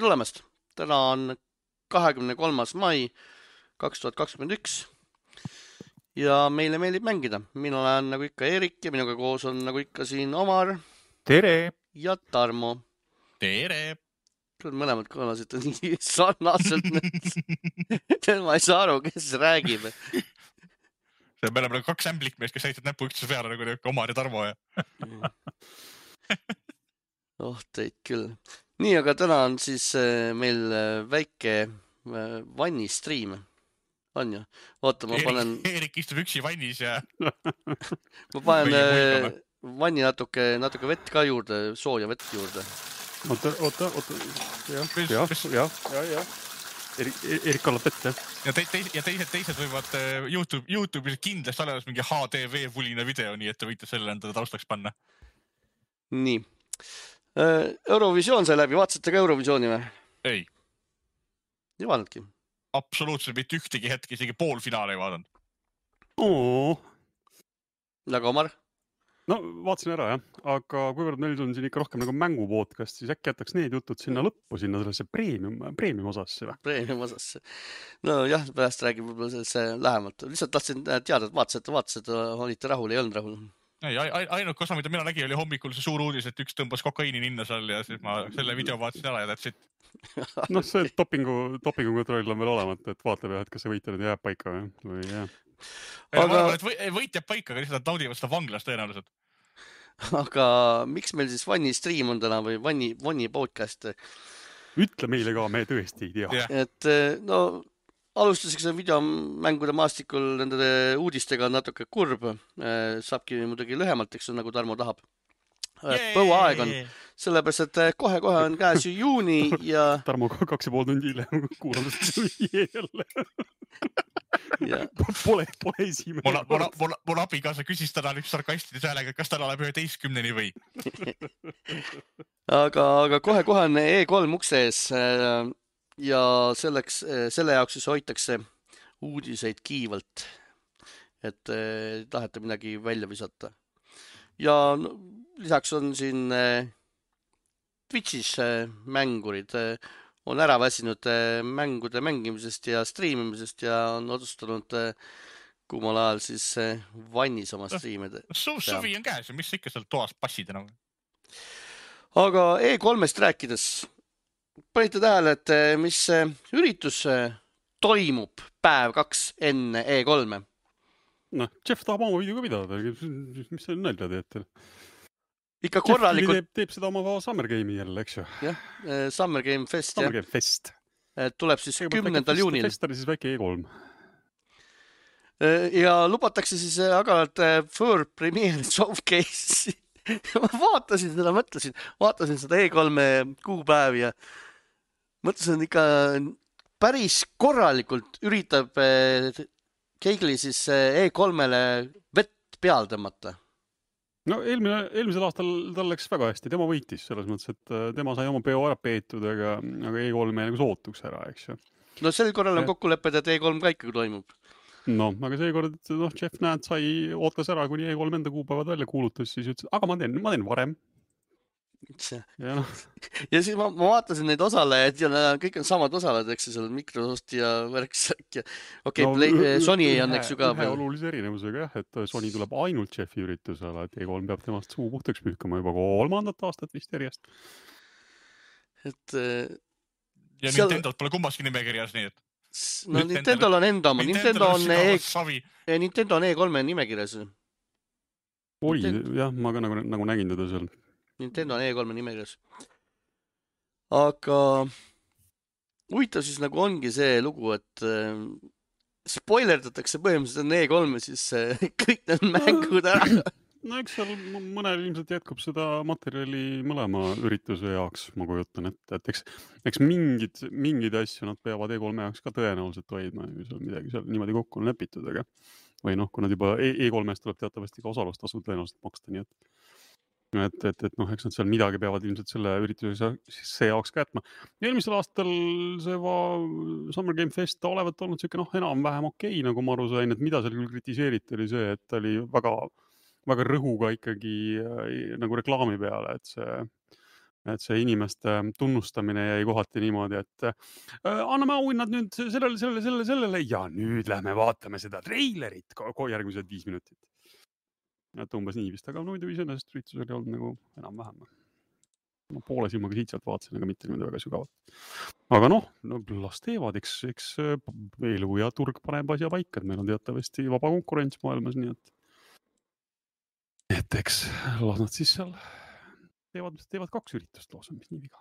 Tere tulemast! Täna on 23. mai 2021 ja meile meeldib mängida. Mina olen nagu ikka Erik ja minuga koos on nagu ikka siin Omar. Tere! Ja Tarmo. Tere! Mõlemad kõlasid nii sarnaselt. Ma ei saa aru, kes räägib. Me oleme kaks ämblikmeest, kes näitavad näpu ükstuse peale nagu Omar ja Tarmo. Teid küll. Nii, aga täna on siis meil väike vanni stream. On ju? Oota, ma panen... Erik istub üksi vannis ja... Ma panen vanni natuke vett ka juurde, sooja vett juurde. Oota. Jah. Erik kallab vett, jah. Ja teised võivad YouTube'is kindlasti olemas mingi HDV-vulina video, nii et te võite selle endale taustaks panna. Nii. Eurovisioon sai läbi. Vaatasite ka Eurovisiooni või? Ei. Ei vaadnudki? Absoluutselt mitte ühtegi hetki, isegi poolfinaale ei vaadanud. Nagu Omar? No, vaatasin ära, jah. Aga kuivõrd meil on siin ikka rohkem nagu mängupodcast, siis äkki jätaks need jutud sinna lõppu, sinna sellesse premium osasse või? Premium osasse. No jah, pärast räägib võib-olla sellesse lähemalt. Lihtsalt tahtsin teada, et vaatasite, olite rahul, ei olnud rahul. Ei, ainuke osa, mida mina nägin, oli hommikul see suur uudis, et üks tõmbas kokaiini ninna seal ja siis ma selle video vaatasin ära ja that's it. No see dopingu kontroll on veel olemata, et vaatab jah, et kas see võitja nüüd jääb paika või jah. Aga... Võit jääb paika, aga lihtsalt naudivad seda vanglast tõenäoliselt. Aga miks meil siis vanni stream on täna või vanni podcast? Ütle meile ka, me tõesti ei tea. Et no alustuseks videomängude maastikul nende uudistega natuke kurb. Saabki muidugi lühemalt, eks on nagu Tarmo tahab. Põuaeg on. Sellepärast, et kohe on käes ju juuni ja... Tarmo 2,5 tundi hiljem kuulamast jälle. Pole esimene. Mul abikaasa küsis täna üks sarkastide häälega, kas täna läheb 11-ni või? Aga kohe on E3 ukse ees ja selle jaoks siis hoitakse uudiseid kiivalt, et tahete midagi välja visata. Ja lisaks on siin Twitchis mängurid on ära väsinud mängude mängimisest ja streamimisest ja on otsustanud kummal ajal siis vannis oma streamida. Suvi on käes ja mis ikka seal toas passid enam? Aga E3-st rääkides, panite tähele, et mis üritus toimub päev 2 enne E3? No, Jeff tahab oma video ka pidada. Mis see nalja teete? Ikka korralikult... Jeff teeb seda oma Summer Game'i jälle, eks ju? Jah, Summer Game Fest. Summer Game Fest. Tuleb siis 10. juunil. Fest oli siis väike E3. Ja lubatakse siis agaralt World Premiere Showcase. Ma vaatasin seda E3 kuupäev ja mõtlesin ikka päris korralikult üritab Keigli siis E3-le vett peal tõmmata. No eelmisel aastal tal läks väga hästi, tema võitis selles mõttes, et tema sai oma peo ära peetud, aga E3 nagu sootuks ära, eks ju. No sel korral on kokkulepped, et E3 ka ikkagi toimub. No, aga seekord, Jeff näed ootas ära, kuni E3 enda kuupäevad välja kuulutas, siis ütles, aga ma teen varem. Ja siis ma vaatasin neid osalejaid ja kõik on samad osalejad, eks seal Microsoft ja Värksak ja Sony on eks ju ka ühe olulise erinevusega jah, et Sony tuleb ainult Jeffi üritusele, et E3 peab temast suu puhtaks pühkama juba 3. aastat vist järjest. Ja Nintendo pole kummaski nimekirjas, nii et... No Nintendo on enda oma, Nintendo on E3 nimekirjas. Oli, jah, ma ka nagu nägin teda seal. Nintendo on E3 nimekirjas. Aga huvitav siis nagu ongi see lugu, et spoilerdatakse põhimõtteliselt E3 siis kõik need mängud ära. No eks seal mõnel ilmselt jätkub seda materjali mõlema ürituse jaoks, ma kujutan, et eks mingid asju nad peavad E3 jaoks ka tõenäoliselt hoidma, seal midagi seal niimoodi kokku on lepitud, aga või kui nad juba E3-st tuleb teatavasti ka osalustasud tõenäoliselt maksta, nii et eks nad seal midagi peavad ilmselt selle ürituse jaoks ka jätma. Eelmisel aastal see Summer Game Fest olevat olnud siuke enam-vähem okei, nagu ma aru sain, et mida seal küll kritiseeriti oli see, et ta oli väga rõhuga ikkagi nagu reklaami peale, et see et see inimeste tunnustamine jäi kohati niimoodi, et anname auhinnad nüüd sellele ja nüüd lähme vaatame seda treilerit järgmised 5 minutit. Et umbes nii vist, aga muidu iseenesest üritus oli olnud nagu enam-vähem. Ma poole silmaga siit-sealt vaatasin, aga mitte niimoodi väga sügavalt. Aga noh, las teevad, eks elu ja turg paneb asja paika, et meil on teatavasti vaba konkurents maailmas, nii et eks las nad siis seal teevad 2 üritust loosa, mis nii viga.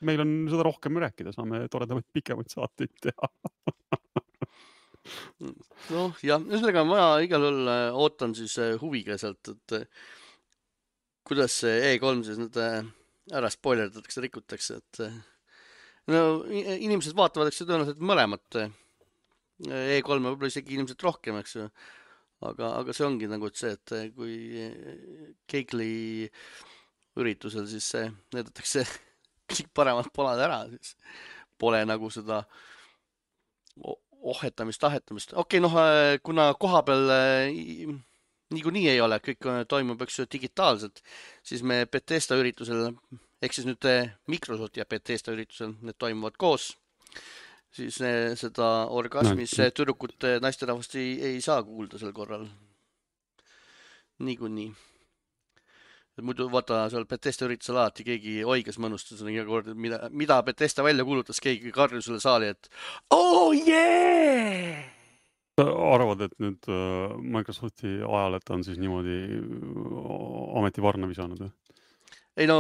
Meil on seda rohkem rääkida, saame toredamaid pikemaid saateid teha. Noh, jah, ühesõnaga ma igal juhul ootan siis huviga sealt, et kuidas see E3 siis nüüd ära spoilerdatakse, rikutakse, et no inimesed vaatavad, eks tõenäoliselt mõlemat E3 võib-olla isegi inimesed rohkem, eks ju. Aga see ongi nagu see, et kui Keigli üritusel siis näidatakse kõik paremad polad ära, siis pole nagu seda tahetamist. Okei, noh, kuna koha peal niikuinii ei ole, kõik toimub üks digitaalselt, siis me Bethesda üritusel, ehk siis nüüd Microsoft ja Bethesda üritusel, need toimuvad koos, siis seda orgasmis tüdrukut naisterahvast ei saa kuulda sel korral. Niikuinii. Muidu vaata seal Bethesda üritusel alati keegi oigas mõnustas iga kord, mida Bethesda välja kuulutas, keegi karjus selle saali, et oh yeah! Arvad, et nüüd Microsofti ajal, et on siis niimoodi ametivarna visanud? Ei no,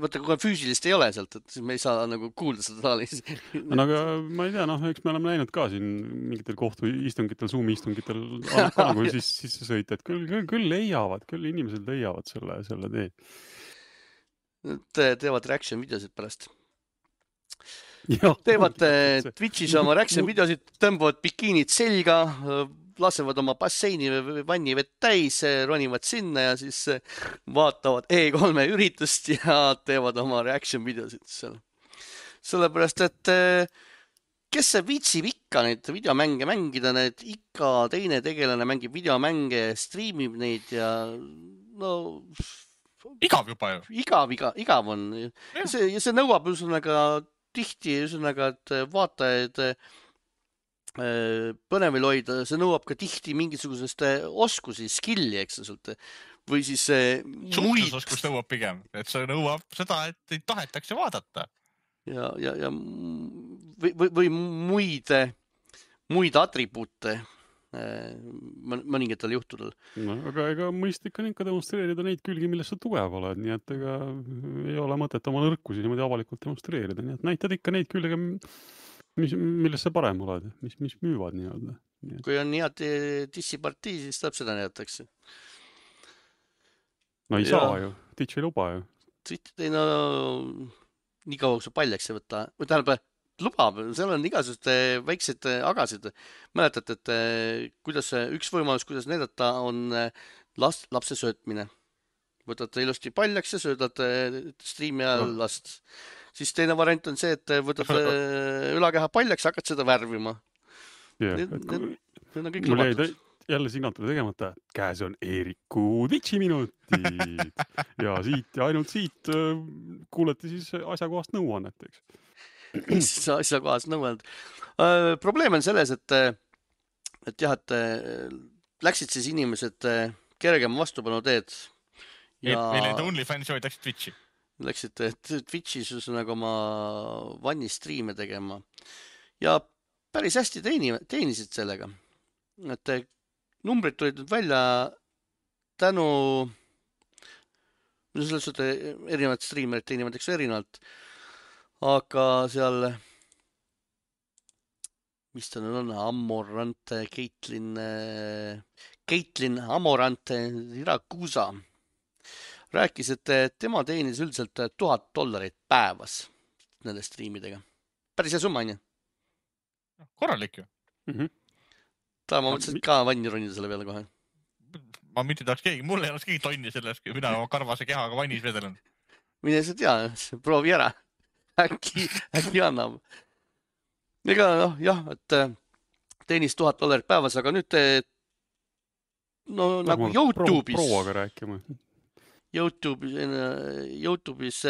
vaata, kui füüsilist ei ole sealt, et siis me ei saa nagu kuulda seda saalis. Aga ma ei tea, noh, eks me oleme näinud ka siin mingitel kohtuistungitel, Zoom-istungitel nagu siis sõita, et küll leiavad, küll inimesed leiavad selle tee. Teevad reaction videosid pärast. Teevad Twitch'is oma reaction videosid, tõmbavad bikiinid selga, lasevad oma basseini või vanni vett täis, ronivad sinna ja siis vaatavad E3 üritust ja teevad oma reaction videosid seal. Sellepärast, et kes see viitsib ikka neid videomänge mängida, need ikka teine tegelane mängib videomänge, streamib neid ja no... Igav juba ju. Igav on. Ja see nõuab tihti, et vaatajaid põnevil hoida, see nõuab ka tihti mingisugusest oskusi, skilli, eks sealt. Või siis suhtlusoskus nõuab pigem, et see nõuab seda, et ei tahetakse vaadata. Ja või muid atribuute mõningatel juhtudel. No, aga ega mõistlik on ikka demonstreerida neid külgi, milles sa tugev oled, nii et ega ei ole mõtet oma nõrkusi niimoodi avalikult demonstreerida, nii et näitad ikka neid külge, milles sa parem oled, mis müüvad nii-öelda. Kui on head dissipartii, siis tuleb seda näidatakse. No ei saa ju, Twitch ei luba ju. Twitch ei nii kaua, kui sa paljaks ei võta. Või tähendab, lubab, seal on igasugused väiksed agasid. Mäletate, et üks võimalus, kuidas näidata, on lapse söötmine. Võtate ilusti paljaks ja söödad striimi ajal last. Siis teine variant on see, et võtad ülakeha paljaks ja hakkad seda värvima. Need on kõik lubatud. Jälle signatuuri tegemata, käes on Eeriku Twitchi minutid ja ainult siit kuulete siis asjakohast nõuannet, eks. Asjakohast nõuannet. Probleem on selles, et läksid siis inimesed kergema vastupanu teed. Meil olid OnlyFans joid läksid Twitchi. Läksid Twitchis nagu oma vannistriime tegema ja päris hästi teenisid sellega. Et numbrid tulid nüüd välja tänu selles suhtes erinevad striimerid teenivad eks erinevalt, aga seal mis ta nüüd on, Amorante, Caitlin Amorante Irakusa rääkis, et tema teenis üldiselt $1000 päevas nende striimidega. Päris hea summa, on ju? Korralik ju. Ma mõtlesin ka vanni ronida selle peale kohe. Ma mitte tahaks keegi, mul ei oleks keegi tonni sellest, kui mina oma karvase kehaga vannis vedelen. Mine sa tea, proovi ära. Äkki annab. Ega jah, et teenis $1000 päevas, aga nüüd nagu YouTube'is. Prouaga rääkima. YouTube'is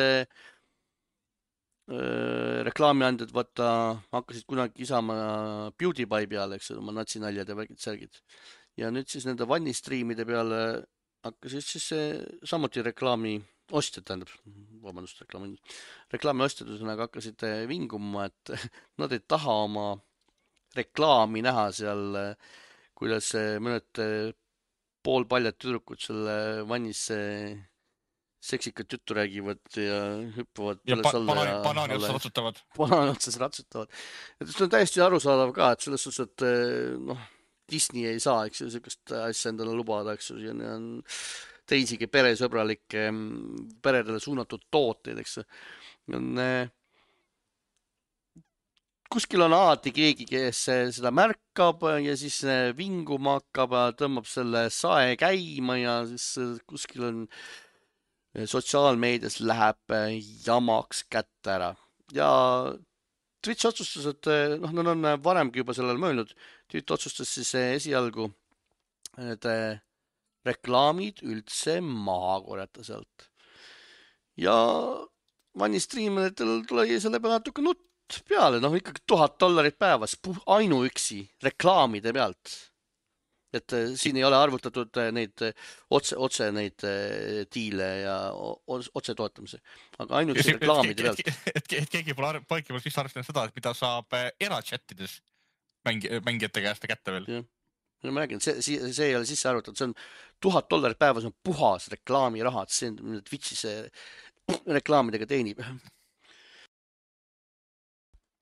reklaamiandjad hakkasid kunagi isama PewDiePie peale, eks oma natsinaljad ja värgid särgid. Ja nüüd siis nende vannistriimide peale hakkasid siis samuti reklaamiostjad, reklaamiostjad ühesõnaga hakkasid vinguma, et nad ei taha oma reklaami näha seal, kuidas mõned poolpaljad tüdrukud selle vannis seksikat juttu räägivad ja hüppavad päles alla ja banaani otsas ratsutavad. Banaani otsas ratsutavad. Et see on täiesti arusaadav ka, et selles suhtes, et Disney ei saa, eks ju, sellist asja endale lubada, eks ju, siin on teisigi peresõbralikke, peredele suunatud tooteid, eks ju. Kuskil on alati keegi, kes seda märkab ja siis vinguma hakkab ja tõmbab selle sae käima ja siis kuskil on sotsiaalmeedias läheb jamaks kätte ära. Ja Twitch otsustas, et nad on varemgi juba sellele mõelnud. Twitch otsustas siis esialgu need reklaamid üldse maha korjata sealt. Ja vannistriimetel tuli selle peale natuke nutt peale, ikkagi $1000 päevas ainuüksi reklaamide pealt. Et siin ei ole arvutatud neid otse neid diile ja otse toetamise, aga ainuüksi reklaamide pealt. Et keegi pole vist arvestanud seda, et mida saab erachattides mängijate käest kätte veel. Ja ma räägin, see ei ole sisse arvutatud, see on $1000 päevas on puhas reklaamirahad, see on Twitchis reklaamidega teenib.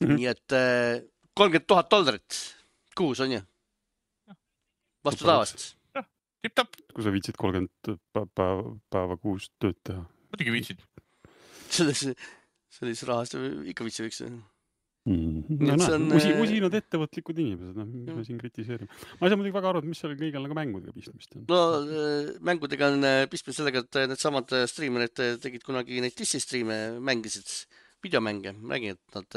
Nii et $30,000 kuus on ju? Vastu taavast. Tipp-tapp. Kui sa viitsid 30 päeva kuus tööd teha. Muidugi viitsid. Selles rahast ikka viitsi võiks. Usinad ettevõtlikud inimesed, mis me siin kritiseerime. Ma ei saa muidugi väga aru, et mis seal kõigel nagu mängudega pistmist on. No mängudega on pistmist sellega, et need samad striimerid tegid kunagi neid Disney-striime, mängisid videomänge, räägin, et nad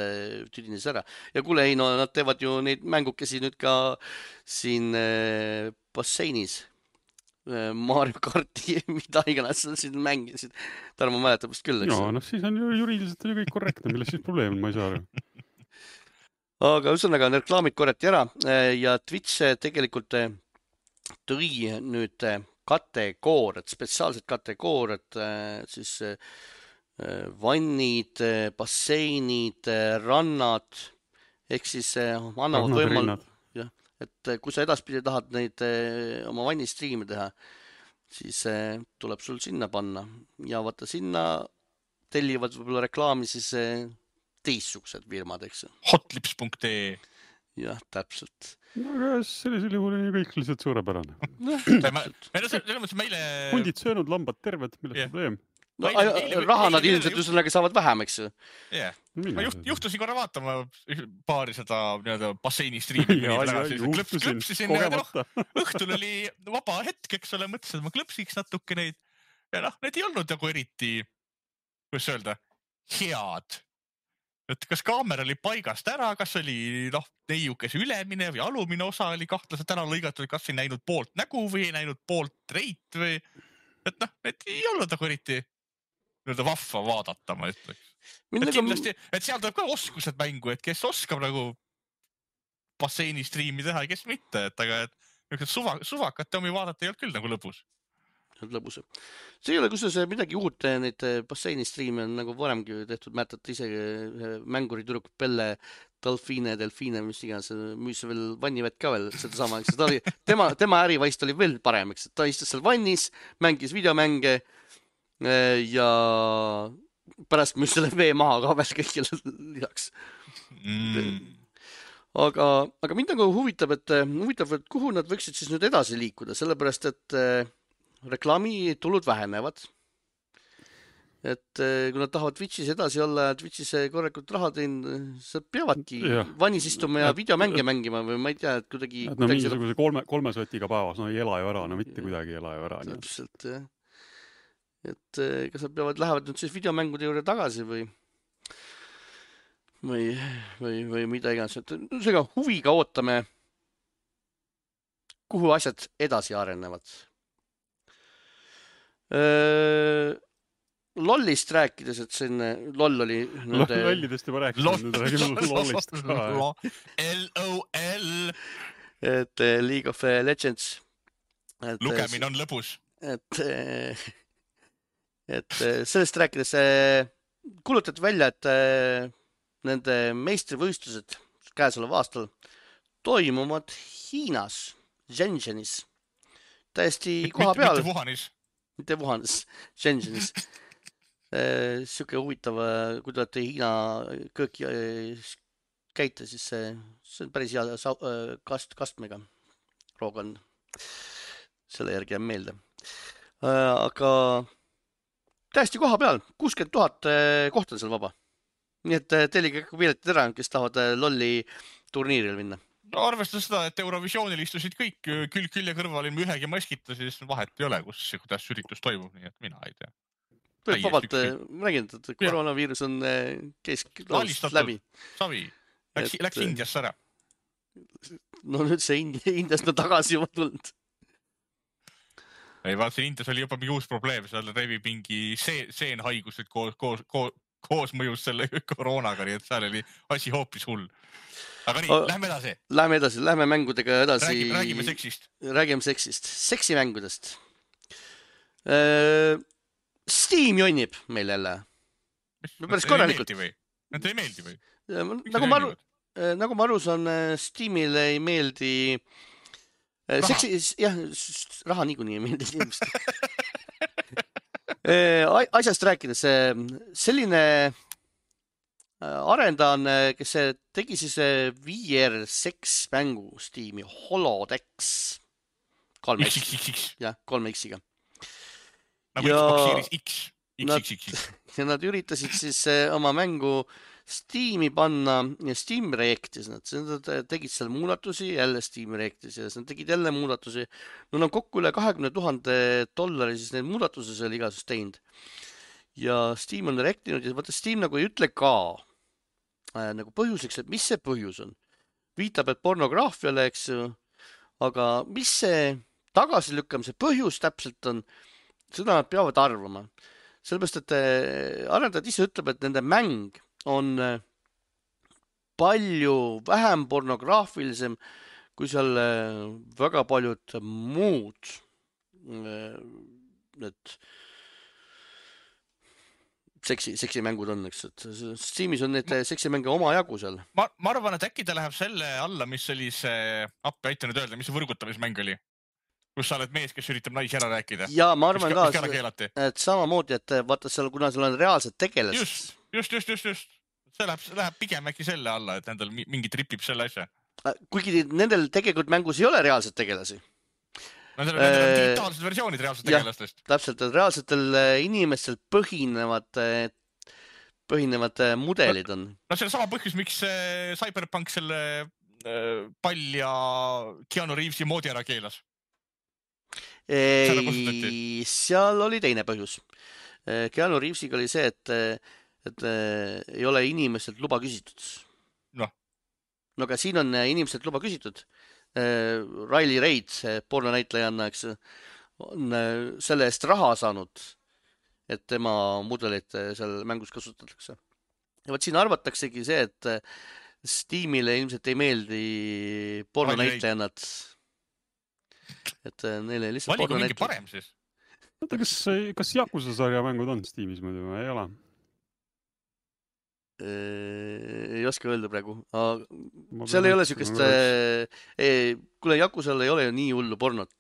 tüdines ära. Ja kuule, ei, nad teevad ju neid mängukesi nüüd ka siin basseinis. Mario Karti, mida iganes siin mängisid. Tarmo mäletab vist küll, eks? No, siis on ju juriidiliselt kõik korrektne, milles siis probleem, ma ei saa aru. Aga ühesõnaga on reklaamid korrati ära ja Twitch tegelikult tõi nüüd kategooriad, spetsiaalsed kategooriad, siis vannid, basseinid, rannad, ehk siis annavad võimalus, et kui sa edaspidi tahad neid oma vannistriime teha, siis tuleb sul sinna panna ja vaata sinna tellivad võib-olla reklaami siis teistsugused firmad, eks. Hotlips.ee. Jah, täpselt. No aga sellisel juhul on ju kõik lihtsalt suurepärane. Hundid söönud, lambad terved, milles probleem? No, raha nad ilmselt üsõnaga saavad vähem, eks ju? Jah. Ma juhtusin korra vaatama paari seda basseinistriimi. Klõpsisin õhtul oli vaba hetk, eks ole, mõtlesin, et ma klõpsiks natuke neid. Ja need ei olnud nagu eriti, kuidas öelda, head. Et kas kaamera oli paigast ära, kas oli neiukese ülemine või alumine osa oli kahtlaselt ära lõigatud, kas ei näinud poolt nägu või ei näinud poolt reit või... Et need ei olnud nagu eriti vahva vaadata, ma ütleks. Et kindlasti, et seal tuleb ka oskused mängu, et kes oskab nagu basseinistriimi teha ja kes mitte, aga suvakate omi vaadata ei olnud küll nagu lõbus. Lõbus. See ei ole kusjuures midagi uut, neid basseinistriime on nagu varemgi tehtud, mäletate isegi mänguri tüdruk Pelle Delfine, mis iganes, müüs veel vannivett ka veel, seda sama, eks. Tema ärivaist oli veel parem, eks. Ta istus seal vannis, mängis videomänge ja pärast müüs selle vee maha ka veel kõigile lisaks. Aga mind nagu huvitab, et kuhu nad võiksid siis nüüd edasi liikuda, sellepärast, et reklaamitulud vähenevad. Et kui nad tahavad Twitchis edasi olla ja Twitchis korrekult raha teinud, sa peavadki vannis istuma ja videomänge mängima või ma ei tea, et kuidagi... No mingisuguse kolme sotiga päevas, ei ela ju ära, mitte kuidagi ela ju ära. Täpselt, jah. Et kas nad lähevad nüüd siis videomängude juurde tagasi või mida iganes. Seega huviga ootame, kuhu asjad edasi arenevad. Lollist rääkides, et siin LOL oli nende... Lollidest juba rääkisime, nüüd räägime Lollist ka. LOL. Et League of Legends. Lugemine on lõbus. Et sellest rääkides kuulutati välja, et nende meistrivõistlused käesoleva aastal toimuvad Hiinas, Shenzhenis. Täiesti koha peal. Mitte Wuhanis, Shenzhenis. Siuke huvitav, kui te olete Hiina kööki käite, siis see on päris hea kastmega. Roogan selle järgi jääb meelde. Aga täiesti koha peal, 60 000 kohta on seal vaba. Nii et teelige piletid ära, kes tahavad lolli turniiril minna. No arvestades seda, et Eurovisioonil istusid kõik külje kõrval ilma ühegi maskita, siis vahet ei ole, kuidas üritus toimub, nii et mina ei tea. Vabalt, ma räägin, et koroonaviirus on läbi. Savi, läks Indiasse ära. No nüüd see Indiast on tagasi juba tulnud. Ei, vaatasin, Indias oli juba mingi uus probleem, seal revib mingi seenhaigused koos mõjus selle koroonaga, nii et seal oli asi hoopis hull. Aga nii, lähme edasi. Lähme mängudega edasi. Räägime seksist. Räägime seksist. Seksimängudest. Steam jonnib meil jälle. Päris korralikult. Need ei meeldi või? Nagu ma aru saan, Steamile ei meeldi... Raha niikuinii ei meeldi inimest. Asjast rääkides, selline arendaja on, kes tegi siis VR seks mängu Steam'i Holodex 3X-iga. Nagu Xbox Series X. Ja nad üritasid siis oma mängu Steam'i panna ja Steam Reactis. Nad tegid seal muudatusi, jälle Steam Reactis ja nad tegid jälle muudatusi. Nad on kokku üle $20,000 siis need muudatusi seal igasust teinud. Ja Steam on reactinud ja vaata Steam nagu ei ütle ka nagu põhjuseks, et mis see põhjus on. Viitab, et pornograafiale, eks ju, aga mis see tagasilükkamise põhjus täpselt on, seda nad peavad arvama. Sellepärast, et arendajad ise ütleb, et nende mäng on palju vähem pornograafilisem kui seal väga paljud muud need seksimängud on, eks, et Steamis on need seksimänge oma jagu seal. Ma arvan, et äkki ta läheb selle alla, mis oli see, appi aita nüüd öelda, mis see võrgutamismäng oli, kus sa oled mees, kes üritab naisi ära rääkida. Ja ma arvan ka, et samamoodi, et vaata seal, kuna seal on reaalsed tegelased. Just. See läheb pigem äkki selle alla, et nendel mingi tripib selle asja. Kuigi nendel tegelikult mängus ei ole reaalsed tegelasi. Nendel on digitaalsed versioonid reaalsed tegelastest. Täpselt, et reaalsetel inimestel põhinevad mudelid on. No see on sama põhjus, miks Cyberpunk selle pall ja Keanu Reavesi moodi ära keelas. Seal oli teine põhjus. Keanu Reavesiga oli see, et ei ole inimestelt luba küsitud. No aga siin on inimestelt luba küsitud. Riley Reid, pornonäitlejanna, eks, on selle eest raha saanud, et tema mudelit seal mängus kasutatakse. Ja võt siin arvataksegi see, et Steamile ilmselt ei meeldi pornonäitlejannad. Et neile lihtsalt valigu mingi parem siis. Oota, kas Yakuza sarja mängud on Steamis muidu või ei ole? Ei oska öelda praegu. Seal ei ole siukest... Kuule, Yakuzal ei ole ju nii hullu pornot.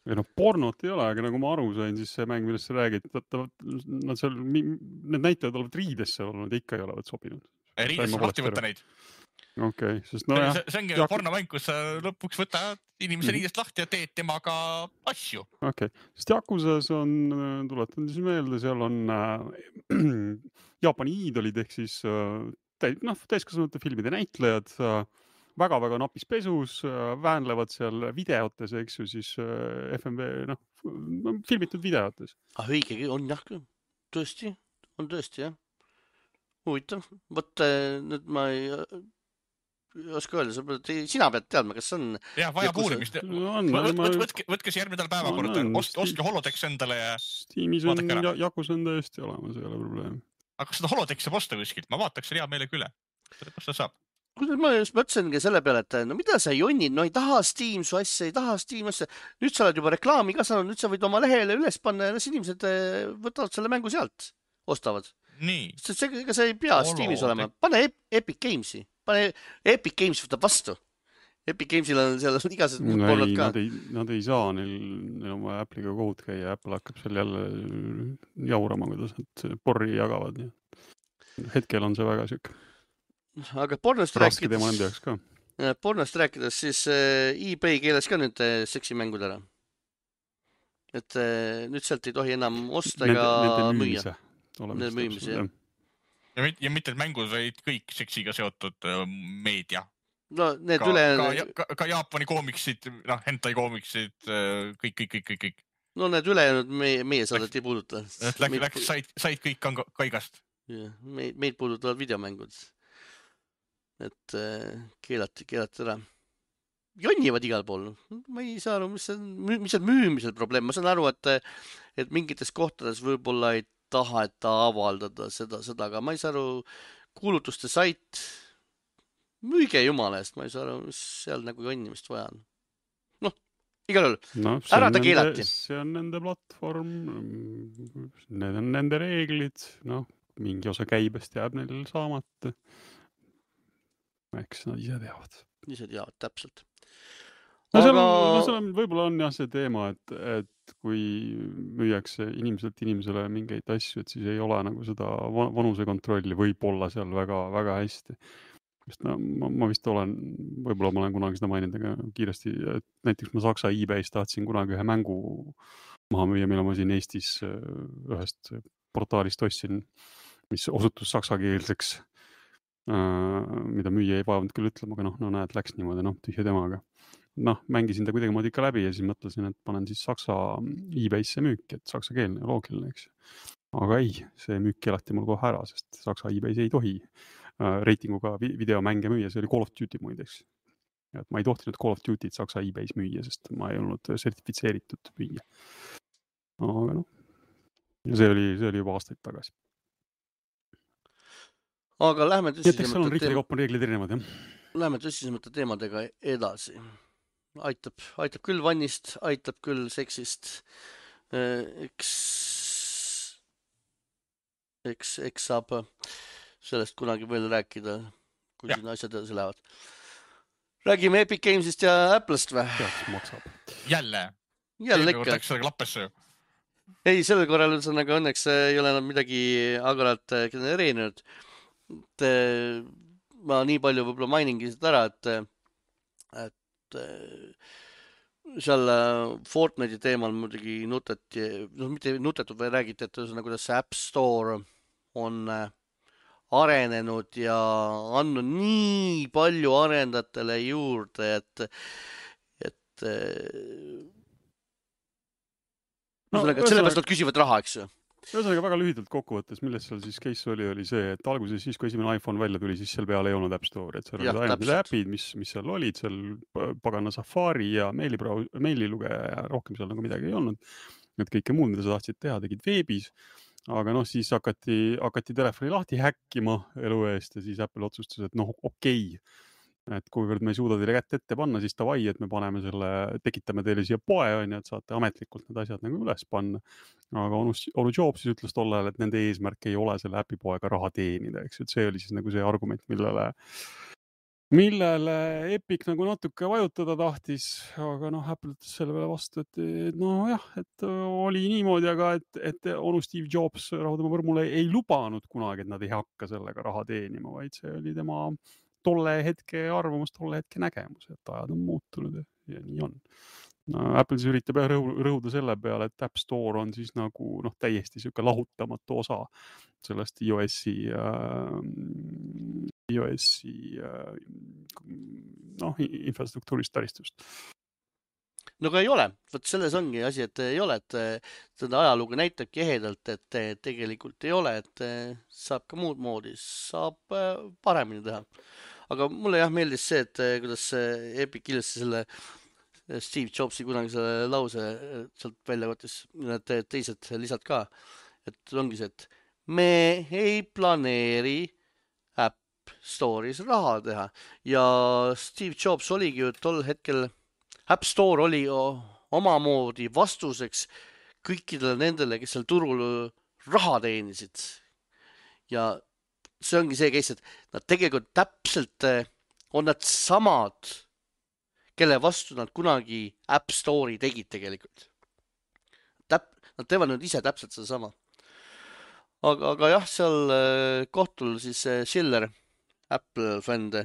Ei no pornot ei ole, aga nagu ma aru sain, siis see mäng, millest sa räägid, need näitajad olevat riidesse olnud, ikka ei olevat sobinud. Riidesse lahti võtta neid. Okei, sest no jah. See ongi pornomäng, kus sa lõpuks võtad inimese riidest lahti ja teed temaga asju. Okei, sest Yakuzas on, tuletan siis meelde, seal on Jaapani iidolid ehk siis täiskasvanute filmide näitlejad, väga-väga napis pesus, väänlevad seal videotes, eks ju, siis FMV, filmitud videotes. Õigegi on jah, tõesti, jah. Huvitav. Võt nüüd ma ei... oska öelda, sina pead teadma, kas on... Jah, vajab uurimist. Võtke see järgmine päevakorda, ostke Holodex endale ja Steamis on jakus on tõesti olemas, ei ole probleem. Aga kas seda Holodex saab osta kuskilt? Ma vaataks hea meelega üle. Kas ta saab? Ma just mõtlesingi selle peale, et no mida sa jonnid, no ei taha Steam su asja, ei taha Steam asja. Nüüd sa oled juba reklaami ka saanud, nüüd sa võid oma lehele üles panna ja inimesed võtavad selle mängu sealt, ostavad. Nii. Ega see ei pea Steamis olema. Pane Epic Gamesi. Pane Epic Games võtab vastu. Epic Gamesil on seal igased muud pooled ka. Nad ei saa, neil on vaja Apple'iga kohut käia. Apple hakkab seal jälle jaurama, kuidas nad porri jagavad. Hetkel on see väga süük. Aga pornost rääkides, siis eBay keeles ka nüüd seksimängud ära. Et nüüd sealt ei tohi enam osta ega müüa. Nende müümise, jah. Ja mitte mängud, vaid kõik seksiga seotud meedia. No need ka Jaapani koomiksid, hentai koomiksid, kõik. No need ülejäänud meie saadet ei puuduta. Said kõik kaigast. Meid puudutavad videomängud. Et keelati ära. Jonnivad igal pool. Ma ei saa aru, mis on müümisel probleem. Ma saan aru, et mingites kohtades võib-olla ei taheta avaldada seda, aga ma ei saa aru, kuulutuste sait, müüge jumala eest, ma ei saa aru, mis seal nagu jonnimist vaja on. Noh, igal juhul, ära ta keelati. See on nende platvorm, need on nende reeglid, mingi osa käibest jääb neil saamata. Eks nad ise teavad. Ise teavad, täpselt. Võib-olla on jah see teema, et kui müüakse inimesele mingeid asju, et siis ei ole nagu seda vanusekontrolli võib-olla seal väga, väga hästi. Ma vist võib-olla ma olen kunagi seda maininud, aga kiiresti, et näiteks ma Saksa eBay's tahtsin kunagi ühe mängu maha müüa, mille ma siin Eestis ühest portaalist ostsin, mis osutus saksakeelseks, mida müüa ei vaevanud küll ütlema, aga näed, läks niimoodi, tühja temaga. Mängisin ta kuidagi moodi ikka läbi ja siis mõtlesin, et panen siis Saksa eBay'sse müüki, et saksakeelne, loogiline, eks. Aga ei, see müük keelati mul kohe ära, sest Saksa eBay's ei tohi reitinguga videomänge müüa, see oli Call of Duty muideks. Et ma ei tohtinud Call of Duty't Saksa eBay's müüa, sest ma ei olnud sertifitseeritud müüa. Aga see oli juba aastaid tagasi. Aga lähme tõsisemate Läheme tõsisemate teemadega edasi. Aitab küll vannist, aitab küll seksist. Eks saab sellest kunagi veel rääkida, kui siin asjad edasi lähevad. Räägime Epic Gamesist ja Apple'st või? Jälle ikka. Läks seda klappesse ju. Ei, sellel korral õnneks ei ole enam midagi agaralt genereerinud. Ma nii palju võib-olla mainingi seda ära, et seal Fortnite'i teemal muidugi mitte nutetud, või räägiti, et kuidas see App Store on arenenud ja andnud nii palju arendajatele juurde, et sellepärast nad küsivad raha, eks ju. Ühesõnaga väga lühidalt kokkuvõttes, milles seal siis case oli see, et alguses siis, kui esimene iPhone välja tuli, siis seal peale ei olnud App Store'i, et seal olid ainult äpid, mis seal olid, seal pagana Safari ja meililugeja ja rohkem seal nagu midagi ei olnud. Et kõike muud, mida sa tahtsid teha, tegid veebis, aga siis hakati telefoni lahti häkkima elu eest ja siis Apple otsustas, et okei. Et kuivõrd me ei suuda teile kätt ette panna, siis davai, et me tekitame teile siia poe, et saate ametlikult need asjad nagu üles panna. Aga Onu Jobs siis ütles tollel, et nende eesmärk ei ole selle äpipoega raha teenida, eks. Et see oli siis nagu see argument, millele Epic nagu natuke vajutada tahtis, aga Apple ütles selle peale vastu, et oli niimoodi, aga et Onu Steve Jobs rahudama võrmule ei lubanud kunagi, et nad ei hakka sellega raha teenima, vaid see oli tema tolle hetke arvamus, tolle hetke nägemus, et ajad on muutunud ja nii on. Apple siis üritab rõhuda selle peale, et App Store on siis nagu täiesti siuke lahutamatu osa sellest iOS-i infrastruktuurist taristust. No aga ei ole, võt selles ongi asi, et ei ole, et seda ajalugu näitabki ehedalt, et tegelikult ei ole, et saab ka muud moodi, saab paremini teha. aga mulle jah meeldis see, et kuidas Epic ilusti selle Steve Jobsi kunagi selle lause sealt välja võttis, need teised lisad ka, et ongi see, et me ei planeeri App Store'is raha teha ja Steve Jobs oligi ju tol hetkel, App Store oli omamoodi vastuseks kõikidele nendele, kes seal turul raha teenisid ja see ongi see case, et nad tegelikult täpselt on nad samad, kelle vastu nad kunagi App Store'i tegid tegelikult. Nad teevad nüüd ise täpselt seda sama. Aga jah, seal kohtul siis Schiller, Apple fände,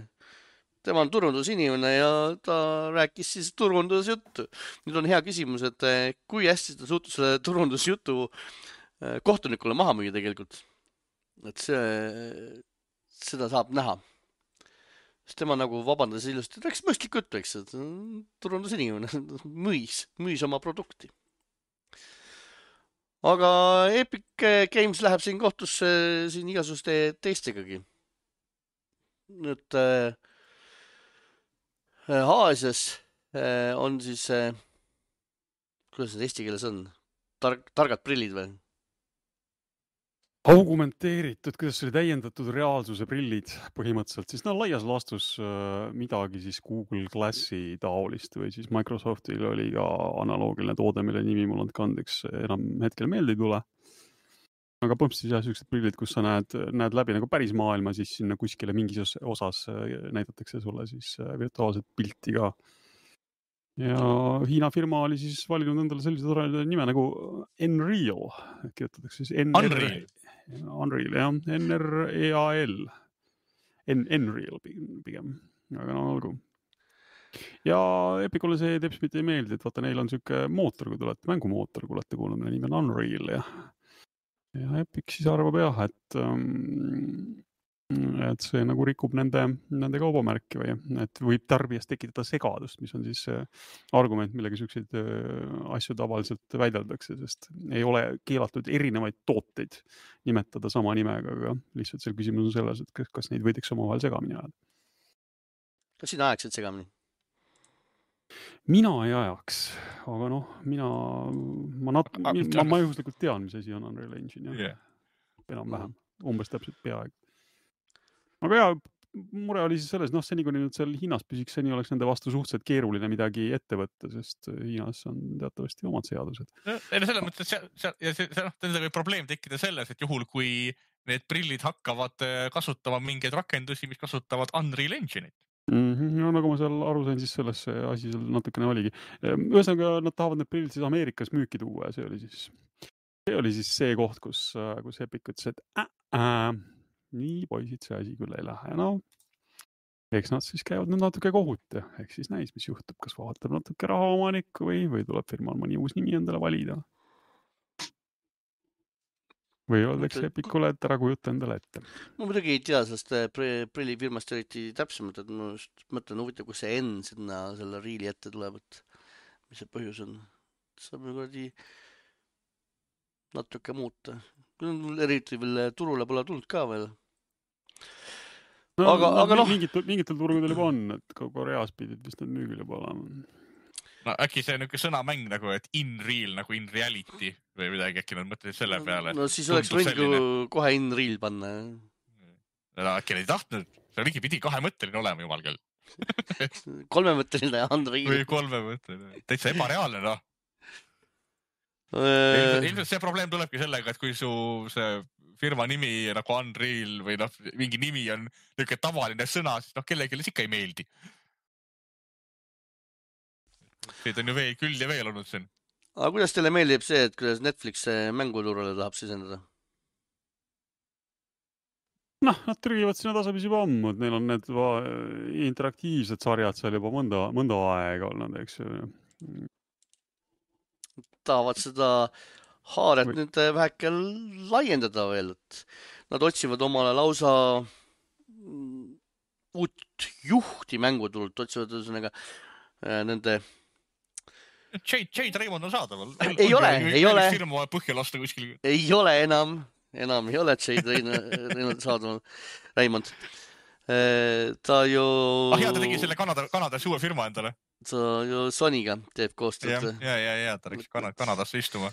tema on turundusinimene ja ta rääkis siis turundusjuttu. Nüüd on hea küsimus, et kui hästi ta suutus selle turundusjutu kohtunikule maha müüa tegelikult. Et seda saab näha. Tema nagu vabandas ilusti, et rääkis mõistlik juttu, eks, et turundusinimene müüs oma produkti. Aga Epic Games läheb siin kohtusse siin igasuguste teistegagi. Nüüd Aasias on siis, kuidas need eesti keeles on, targad prillid või? Augmenteeritud, kuidas see oli täiendatud reaalsuse prillid põhimõtteliselt, siis laias laastus midagi siis Google Glassi taolist või siis Microsoftil oli ka analoogiline toode, mille nimi mul on kandeks enam hetkel meelde ei tule. Aga põhimõtteliselt jah, sellised prillid, kus sa näed läbi nagu päris maailma, siis sinna kuskile mingis osas näidatakse sulle siis virtuaalset pilti ka. Ja Hiina firma oli siis valinud endale sellise toreda nime nagu Nreal, kirjutatakse siis Unreal, jah, N-R-E-A-L. Nreal pigem, aga olgu. Ja Epicule see teps mitte ei meeldi, et vaata, neil on selline mootor, kui tulete, mängumootor, kui olete kuulnud, mille nimi on Unreal, ja Epic siis arvab jah, et see nagu rikub nende kaubamärki või et võib tarbijas tekitada segadust, mis on siis argument, millega selliseid asju tavaliselt väideldakse, sest ei ole keelatud erinevaid tooteid nimetada sama nimega, aga lihtsalt seal küsimus on selles, et kas neid võidakse omavahel segamini ajada. Kas sina ajaksid segamini? Mina ei ajaks, aga ma juhuslikult tean, mis asi on Unreal Engine. Enam-vähem, umbes täpselt peaaegu. Aga jah, mure oli siis selles, see nii kui nüüd seal Hiinas püsiks, see nii oleks nende vastu suhteliselt keeruline midagi ette võtta, sest Hiinas on teatavasti omad seadused. Selles mõttes, nendega võib probleem tekkida selles, et juhul kui need prillid hakkavad kasutama mingeid rakendusi, mis kasutavad Unreal Engine'it. No nagu ma seal aru sain, siis selles see asi seal natukene oligi. Ühesõnaga, nad tahavad need prillid siis Ameerikas müüki tuua ja see oli siis see koht, kus Epic ütles, et nii poisid see asi küll ei lähe. Eks nad siis käivad nüüd natuke kohut ja eks siis näis, mis juhtub, kas vahetab natuke raha omanikku või tuleb firmal mõni uus nimi endale valida. Või öeldakse Epicule, et ära kujuta endale ette. Ma muidugi ei tea sellest prillifirmast eriti täpsemalt, et ma just mõtlen huvitav, kus see N sinna selle riili ette tuleb, et mis see põhjus on. Saab ju natuke muuta. Eriti veel turule pole tulnud ka veel. Aga mingitel turgudel juba on, et Koreas pidid vist need müügil juba olema. No äkki see on sõnamäng nagu, et in real, nagu in reality või midagi, äkki nad mõtlesid selle peale. No siis oleks võinud kohe in real panna. No äkki neid tahtnud, see oligi pidi 2-mõtteline olema, jumal küll. 3-mõtteline Unreal. Või 3-mõtteline, täitsa ebareaalne, Ilmselt see probleem tulebki sellega, et kui su see firma nimi nagu Unreal või mingi nimi on niisugune tavaline sõna, siis kellelegi ikka ei meeldi. Neid on ju küll ja veel olnud siin. Aga kuidas teile meeldib see, et kuidas Netflix mänguturule tahab sisendada? Nad trügivad sinna tasapisi juba ammu, et neil on need interaktiivsed sarjad seal juba mõnda aega olnud, eks ju. Tahavad seda haaret nüüd väheke laiendada veel, et nad otsivad omale lausa uut juhti mänguturult, otsivad ühesõnaga nende Jade Raymond on saadaval. Ei ole. Firma põhja lasta kuskil. Ei ole enam ei ole Jade Raymond. ta ju... ta tegi selle Kanadas uue firma endale. Ta ju Sonyga teeb koostööd. Ja, ta läks Kanadasse istuma.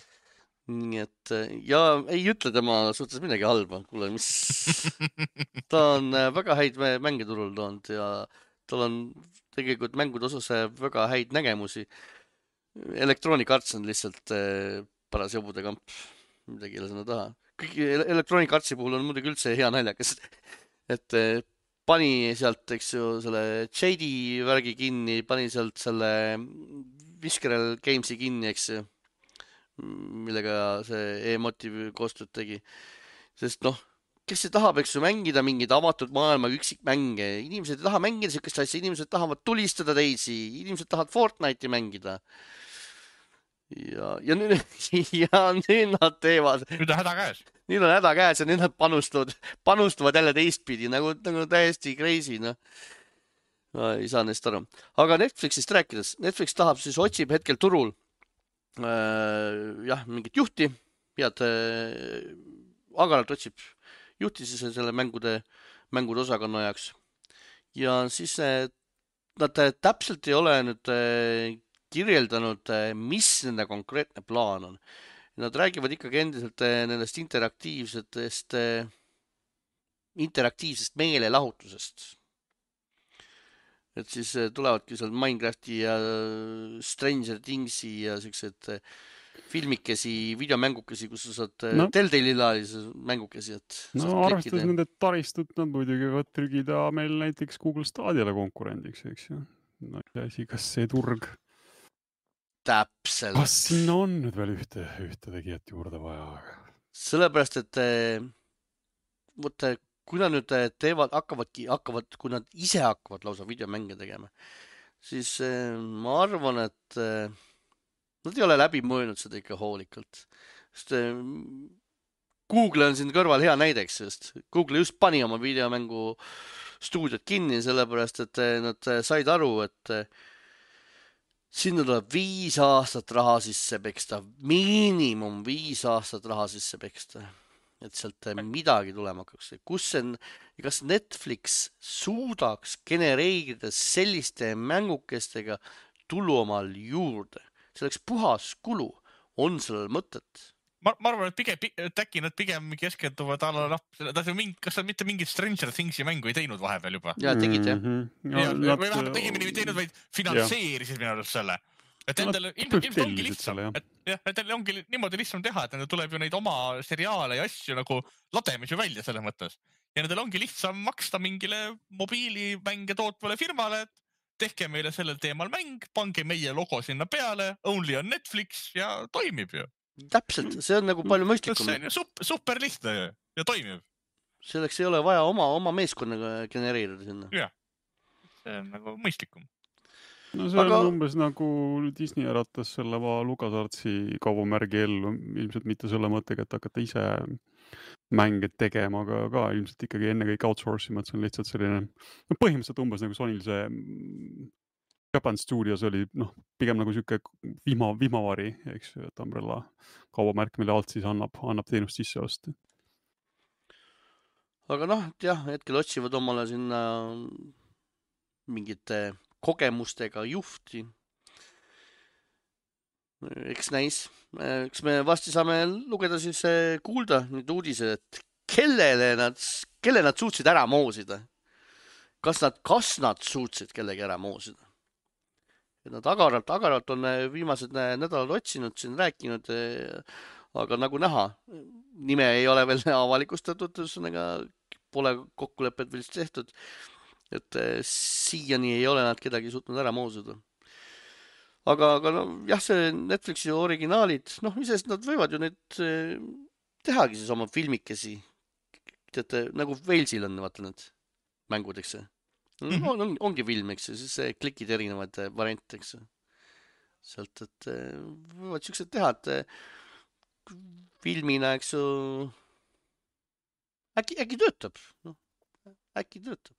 Nii et ja ei ütle tema suhtes midagi halba. Kuule, mis... ta on väga häid mänge turul toonud ja tal on tegelikult mängude osas väga häid nägemusi. Electronic Arts on lihtsalt paras jobude kamp. Midagi ei ole sinna taha. Kõik Electronic Artsi puhul on muidugi üldse hea naljakas, et pani sealt, eks ju, selle JD värgi kinni, pani sealt selle Visceral Gamesi kinni, eks ju, millega see E-Motive koostööd tegi. Sest noh, kes see tahab, eks ju, mängida mingeid avatud maailma üksikmänge. Inimesed ei taha mängida sellist asja, inimesed tahavad tulistada teisi, inimesed tahavad Fortnite'i mängida. Ja nüüd nad teevad. Nüüd on häda käes. Nüüd on häda käes ja nüüd nad panustavad jälle teistpidi, nagu täiesti crazy, noh. Ei saa neist aru. Aga Netflixist rääkides, Netflix tahab siis, otsib hetkel turul mingit juhti, head agaralt otsib juhti siis selle mängude osakonna jaoks. Ja siis nad täpselt ei ole nüüd kirjeldanud, mis nende konkreetne plaan on. Nad räägivad ikkagi endiselt nendest interaktiivsest meelelahutusest. Et siis tulevadki seal Minecrafti ja Stranger Thingsi ja sellised filmikesi, videomängukesi, kus sa saad Telltale-ilaalisi mängukesi. Arvestades nende taristut, nad muidugi võivad trügida meil näiteks Google Stadiale konkurendiks, eks ju. Kas see turg... Täpselt. Kas sinna on nüüd veel ühte tegijat juurde vaja? Sellepärast, et kui nad nüüd kui nad ise hakkavad lausa videomänge tegema, siis ma arvan, et nad ei ole läbi mõelnud seda ikka hoolikalt. Sest Google on siin kõrval hea näideks, sest Google just pani oma videomängu stuudiot kinni, sellepärast, et nad said aru, et sinna tuleb 5 aastat raha sisse peksta, miinimum 5 aastat raha sisse peksta, et sealt midagi tulema hakkaks. Kas Netflix suudaks genereerida selliste mängukestega tulu omal juurde? See oleks puhas kulu. On sellel mõtet? Ma arvan, et äkki nad pigem keskenduvad kas nad mitte mingit Stranger Thingsi mängu ei teinud vahepeal juba? Ja, tegid, jah. Või vähemalt õigemini ei teinud, vaid finantseerisid minu arust selle. Et endale ilmselt ongi lihtsam. Et ongi niimoodi lihtsam teha, et nendel tuleb ju neid oma seriaale ja asju nagu lademisi välja selles mõttes. Ja nendel ongi lihtsam maksta mingile mobiilimänge tootvale firmale, et tehke meile sellel teemal mäng, pange meie logo sinna peale, only on Netflix ja toimib ju. Täpselt, see on nagu palju mõistlikum. See on ju super lihtne ja toimib. Selleks ei ole vaja oma meeskonnaga genereerida sinna. Jah, see on nagu mõistlikum. No see on umbes nagu Disney äratas selle LucasArtsi kaubamärgi ellu, ilmselt mitte selle mõttega, et hakata ise mänge tegema, aga ka ilmselt ikkagi enne kõik outsourcing, et see on lihtsalt selline, põhimõtteliselt umbes nagu Sonyl see Japan Studios oli pigem nagu siuke vihmavari, eks ju, et Umbrella kaubamärk, mille alt siis annab teenust sisse osta. Aga hetkel otsivad omale sinna mingite kogemustega juhti. Eks näis. Eks me vasti saame lugeda siis kuulda nüüd uudise, et kelle nad suutsid ära moosida. Kas nad suutsid kellegi ära moosida? Nad agaralt on viimased nädalad otsinud, siin rääkinud, aga nagu näha, nime ei ole veel avalikustatud, pole kokkulepet veel tehtud, et siiani ei ole nad kedagi suutnud ära moosida. Aga see Netflixi originaalid, isest nad võivad ju need tehagi siis oma filmikesi, nagu Walesil on, vaata need mängud, eks see. Ongi film, eks ju, siis klikid erinevad variante, eks ju. Sealt, et võivad siuksed teha, et filmina, eks ju, äkki töötab. Äkki töötab.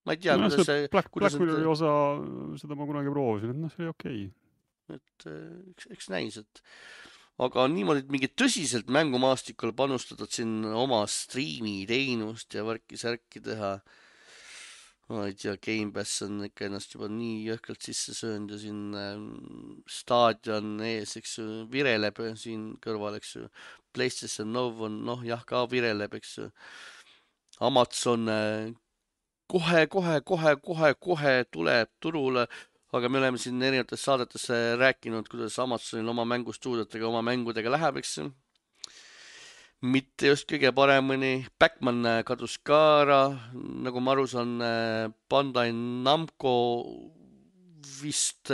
Ma ei tea, kuidas see... Black Mirrori osa, seda ma kunagi proovisin, et see oli okei. Et eks näis, et aga niimoodi, et mingi tõsiselt mängumaastikul panustada siin oma striimi teenust ja värki-särki teha. Ma ei tea, Game Pass on ikka ennast juba nii jõhkralt sisse söönud ja siin staadion ees, eks ju, vireleb siin kõrval, eks ju. PlayStation Now on, noh jah, ka vireleb, eks ju. Amazon kohe tuleb turule, aga me oleme siin erinevates saadetes rääkinud, kuidas Amazonil oma mängustuudiotega, oma mängudega läheb, eks ju. Mitte just kõige paremini. Backman kadus ka ära, nagu ma aru saan, Bandai Namco vist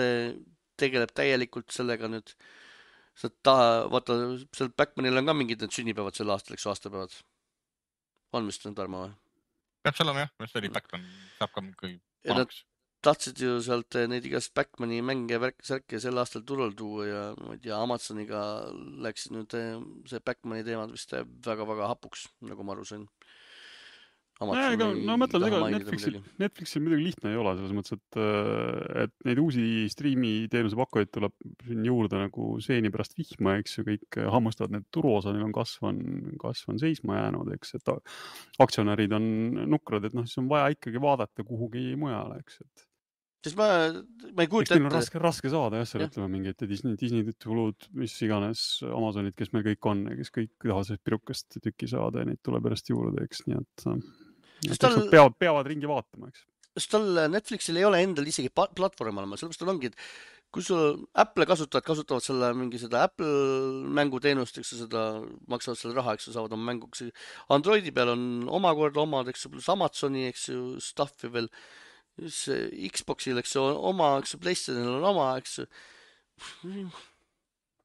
tegeleb täielikult sellega nüüd. Vaata, seal Backmanil on ka mingid need sünnipäevad sel aastal, eks aastapäevad. On vist on Tarmo või? Peaks olema jah, mis oli Backman, saab ka mingi vanaks. Tahtsid ju sealt neid igast Backmani mänge värki-särki sel aastal turul tuua ja ma ei tea, Amazoniga läks nüüd see Backmani teemad vist väga-väga hapuks, nagu ma aru sain. No mõtlen, ega Netflixil midagi lihtne ei ole, selles mõttes, et neid uusi striimi teenuse pakkujaid tuleb siin juurde nagu seeni pärast vihma, eks ju, kõik hammustavad, need turuosa neil on kasvan seisma jäänud, eks, et aktsionärid on nukrad, et noh, siis on vaja ikkagi vaadata kuhugi mujale, eks, et sest ma ei kujuta ette. Eks neil on raske saada jah, seal ütleme mingid Disney tulud, mis iganes Amazonid, kes meil kõik on ja kes kõik tahavad sellest pirukast tükki saada ja neid tuleb järjest juurde, eks, nii et peavad ringi vaatama, eks. Sest tal Netflixil ei ole endal isegi platvorm olema, sellepärast tal ongi, et kui sul Apple kasutavad selle mingi seda Apple mänguteenust, eks seda maksavad selle raha, eks saavad oma mänguks. Androidi peal on omakorda omad, eks pluss Amazoni, eks ju, stuffi veel. Xboxil, eks ju, oma, eks ju, PlayStationil on oma, eks ju.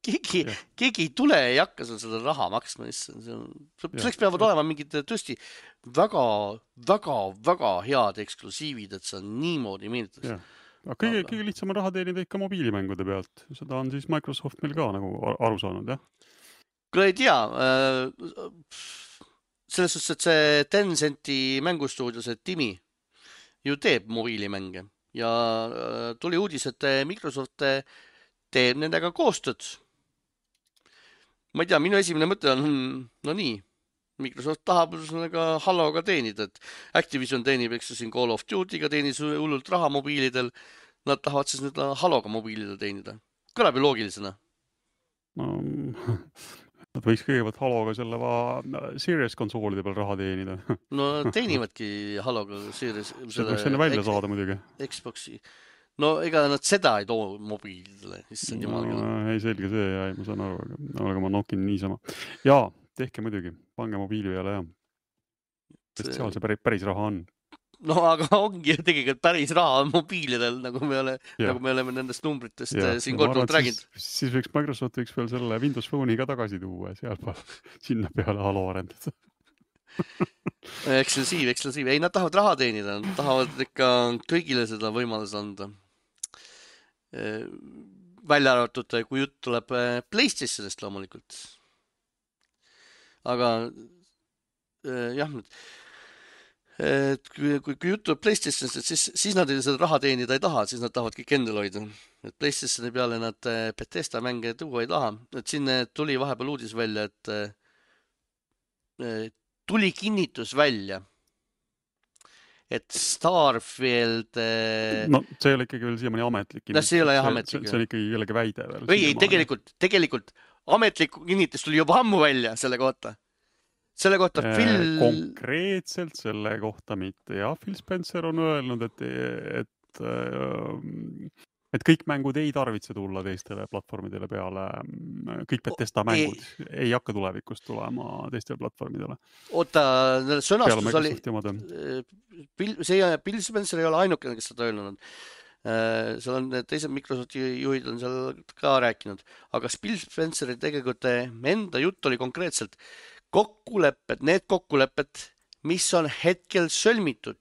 Keegi ei tule ja ei hakka seal seda raha maksma. Selleks peavad olema mingid tõesti väga head eksklusiivid, et see on niimoodi meelitatakse. Aga kõige lihtsam on raha teenida ikka mobiilimängude pealt. Seda on siis Microsoft meil ka nagu aru saanud, jah? Kui ei tea, selles suhtes, et see Tencenti mängustuudio, see Timi, ju teeb mobiilimänge ja tuli uudis, et Microsoft teeb nendega koostööd. Ma ei tea, minu esimene mõte on, no nii, Microsoft tahab sellega Haloga teenida, et Activision teenib, eks siin Call of Duty'ga teenis hullult raha mobiilidel, nad tahavad siis nüüd Haloga mobiilidel teenida. Kõlab ju loogilisena. Nad võiks kõigepealt Haloga selle Series konsoolide peal raha teenida. No teenivadki Haloga Series. See võiks enne välja saada muidugi. Xboxi. No ega nad seda ei too mobiilidele. Ei selge see, ja ma saan aru, aga ma nokin niisama. Jaa, tehke muidugi, pange mobiili peale ja. Sest seal see päris raha on. No aga ongi ju tegelikult päris raha mobiilidel, nagu me oleme nendest numbritest siin korduvalt rääginud. Siis võiks Microsoft võiks veel selle Windows Phone'i ka tagasi tuua ja sinna peale Halo arendada. Eksklusiiv. Ei, nad tahavad raha teenida, nad tahavad ikka kõigile seda võimalus anda. Välja arvatud, kui jutt tuleb PlayStationist loomulikult. Aga jah, et kui jutt tuleb PlayStationist, siis nad seda raha teenida ei taha, siis nad tahavad kõik endal hoida. Et PlayStationi peale nad Bethesda mänge tuua ei taha. Et siin tuli vahepeal uudis välja, et tuli kinnitus välja, et Starfield... No see ei ole ikkagi veel siiamaani ametlik kinnitus. See ei ole ametlik. See on ikkagi kellegi väide veel. Ei, tegelikult ametlik kinnitus tuli juba ammu välja selle kohta. Selle kohta Konkreetselt selle kohta mitte. Ja Phil Spencer on öelnud, et kõik mängud ei tarvitse tulla teistele platvormidele peale. Kõik Bethesda mängud ei hakka tulevikust tulema teistele platvormidele. Oota, sõnastus oli... Phil Spencer ei ole ainukene, kes seda öelnud. Seal on teised Microsofti juhid on seal ka rääkinud. Aga Phil Spenceri tegelikult enda jutt oli konkreetselt need kokkulepped, mis on hetkel sõlmitud,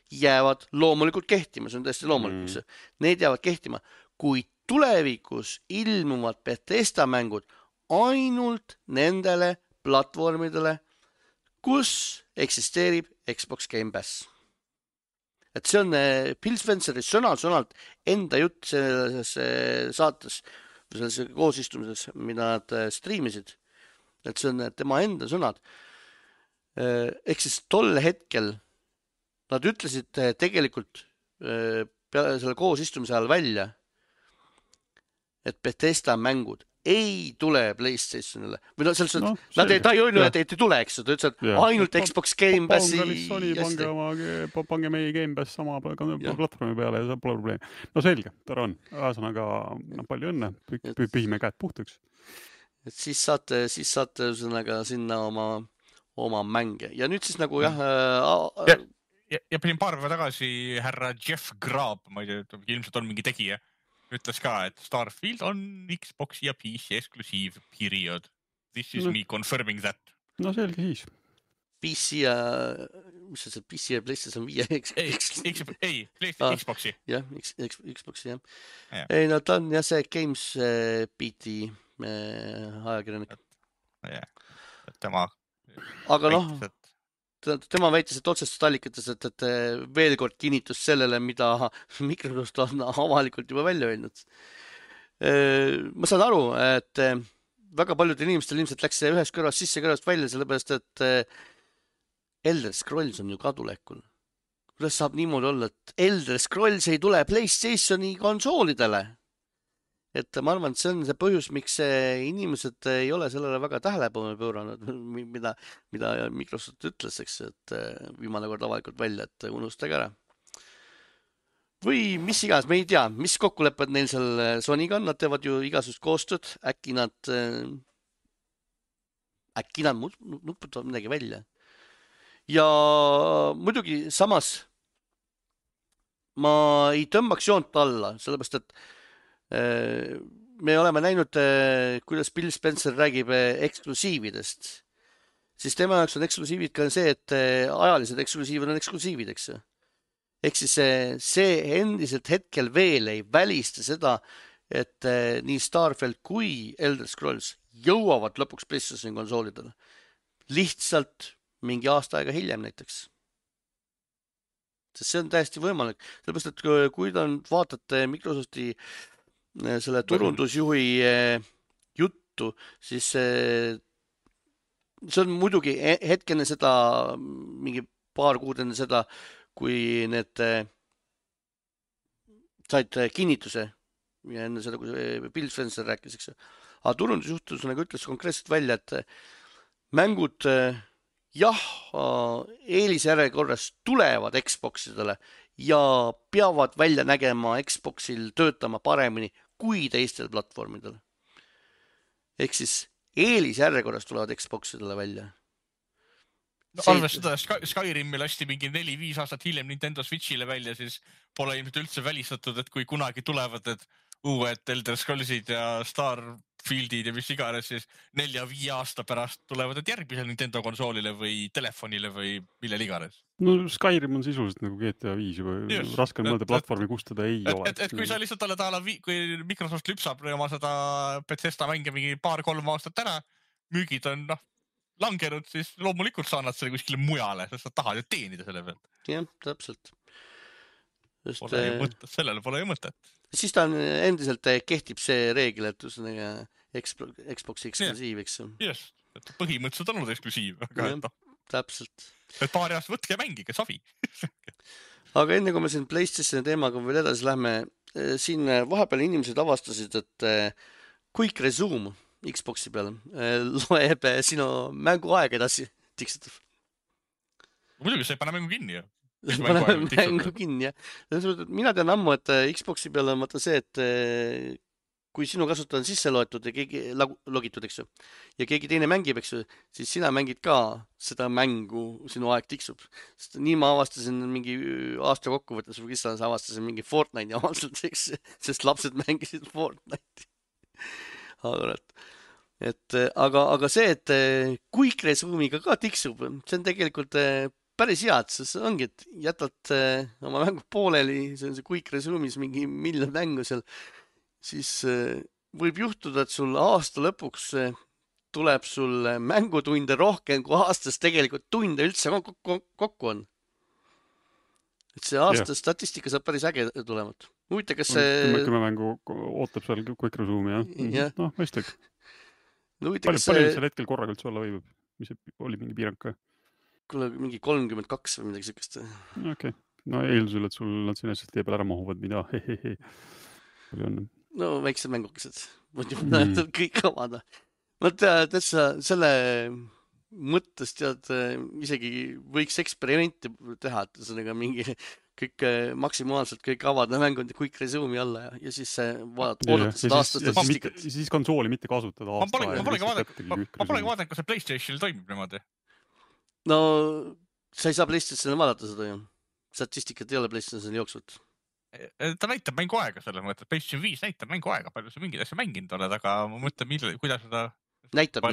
jäävad loomulikult kehtima. See on tõesti loomulikult. Need jäävad kehtima. Kui tulevikus ilmuvad Bethesda mängud ainult nendele platvormidele, kus eksisteerib Xbox Game Pass. Et see on Phil Spenceri sõnalt enda jutt selles saates. selles koosistumises, mida nad striimisid, et see on tema enda sõnad. Ehk siis tol hetkel nad ütlesid tegelikult selle koosistumise ajal välja, et Bethesda mängud ei tule PlayStationile. Või nad ei öelnud, et ei tule, eks. Ta ütles, et ainult Xbox Game Passi. Pange meie Game Pass sama platvormi peale ja see pole probleem. No selge, tore on. Ühesõnaga, palju õnne. Pühime käed puhtaks. Et siis saate sinna oma mänge. Ja nüüd siis nagu ja pidin paar päeva tagasi härra Jeff Grubb, ma ei tea, ilmselt on mingi tegija, ütles ka, et Starfield on Xbox ja PC eksklusiiv, period. This is me confirming that. No selge siis. PC ja, mis see PC ja PlayStation 5? Ei, PlayStation Xboxi. Jah, Xboxi, jah. Ei, no ta on jah see Games Beat'i ajakirjanik. Tema aga tema väitis, et otsestes allikates, et veel kord kinnitus sellele, mida Microsoft on avalikult juba välja öelnud. Ma saan aru, et väga paljudel inimestel ilmselt läks see ühest kõrvast sisse kõrvast välja, sellepärast et Elder Scrolls on ju kadulekul. Kuidas saab niimoodi olla, et Elder Scrolls ei tule PlayStationi konsoolidele? Et ma arvan, et see on see põhjus, miks inimesed ei ole sellele väga tähelepanu pööranud, mida Microsoft ütles, eks, et viimane kord avalikult välja, et unustage ära. Või mis iganes, me ei tea, mis kokkulepped neil seal Sonyga on, nad teevad ju igasugust koostööd, äkki nad nuputavad midagi välja. Ja muidugi samas ma ei tõmbaks joont alla, sellepärast, et me oleme näinud, kuidas Bill Spencer räägib eksklusiividest. Siis tema jaoks on eksklusiivid ka see, et ajalised eksklusiivid on eksklusiivid, eks. Ehk siis see endiselt hetkel veel ei välista seda, et nii Starfield kui Elder Scrolls jõuavad lõpuks PlayStation konsoolidele. Lihtsalt mingi aasta aega hiljem näiteks. Sest see on täiesti võimalik. Sellepärast, et kui te vaatate Microsofti selle turundusjuhi juttu, siis see on muidugi hetkene seda, mingi paar kuud enne seda, kui need said kinnituse ja enne seda, kui Bill Spencer rääkis, eks. Aga turundusjuht ütles konkreetselt välja, et mängud eelisjärjekorras tulevad Xboxidele ja peavad välja nägema Xboxil töötama paremini kui teistel platvormidel. Ehk siis eelisjärjekorras tulevad Xboxidele välja. Arves seda Skyrimi lasti mingi 4-5 aastat hiljem Nintendo Switchile välja, siis pole ilmselt üldse välistatud, et kui kunagi tulevad need uued Elder Scrollsid ja Starfieldid ja mis iganes, siis 4-5 aasta pärast tulevad need järgmisel Nintendo konsoolile või telefonile või millel iganes. No Skyrim on sisuliselt nagu GTA 5 juba raske mõelda platvormi, kus teda ei ole. Et kui sa lihtsalt oled kui Microsoft lüpsab oma seda Bethesda mänge mingi 2-3 aastat ära, müügid on langenud, siis loomulikult saanad selle kuskile mujale, sest sa tahad ju teenida selle pealt. Jah, täpselt. Sellele pole ju mõtet. Siis ta endiselt kehtib see reegel, et Xbox eksklusiiv, eks. Just, et põhimõtteliselt on olnud eksklusiiv. Täpselt. Et paari aasta võtke ja mängige, savi. Aga enne kui me siin PlayStationi teemaga veel edasi lähme, siin vahepeal inimesed avastasid, et Quick Resume Xboxi peal loeb sinu mänguaeg edasi tiksutab. Muidugi sa ei pane mängu kinni ju. Mängu kinni, jah. Mina tean ammu, et Xboxi peal on vaata see, et kui sinu kasutaja on sisse loetud ja keegi logitud, eks ju, ja keegi teine mängib, eks ju, siis sina mängid ka seda mängu, sinu aeg tiksub. Sest nii ma avastasin mingi aasta kokkuvõttes või kes avastasin mingi Fortnite'i avaldselt, eks, sest lapsed mängisid Fortnite'i. Aga see, et Quick Resume'iga ka tiksub, see on tegelikult päris head, sest ongi, et jätad oma mängu pooleli, see on see Quick Resume'is mingi miljon mängu seal, siis võib juhtuda, et sul aasta lõpuks tuleb sul mängutunde rohkem, kui aastas tegelikult tunde üldse kokku on. Et see aasta statistika saab päris äge tulemat. huvitav, kas see... 10 mängu ootab seal Quick Resume'i, jah? Noh, mõistlik. Palju seal hetkel korraga üldse olla võib? Mis oli mingi piirang ka? Kuule, mingi 32 või midagi sellist. Okei. No eeldusel, et sul nad sinna tee peale ära mahuvad, mida No väiksed mängukesed. Kõik avada. Ma tead, selle mõttes tead, isegi võiks eksperimenti teha, et ühesõnaga mingi kõik maksimaalselt kõik avada mängud Quick Resume'i alla ja siis oodata seda aasta statistikat. Siis konsooli mitte kasutada aasta aega. Ma polegi vaadanud, kas see PlayStationil toimib niimoodi. No sa ei saa PlayStationil vaadata seda ju. Statistikat ei ole PlayStationil jooksvalt. Ta näitab mängu aega selles mõttes. PlayStation 5 näitab mängu aega, palju sa mingid asja mänginud oled, aga ma mõtlen, kuidas seda... Näitab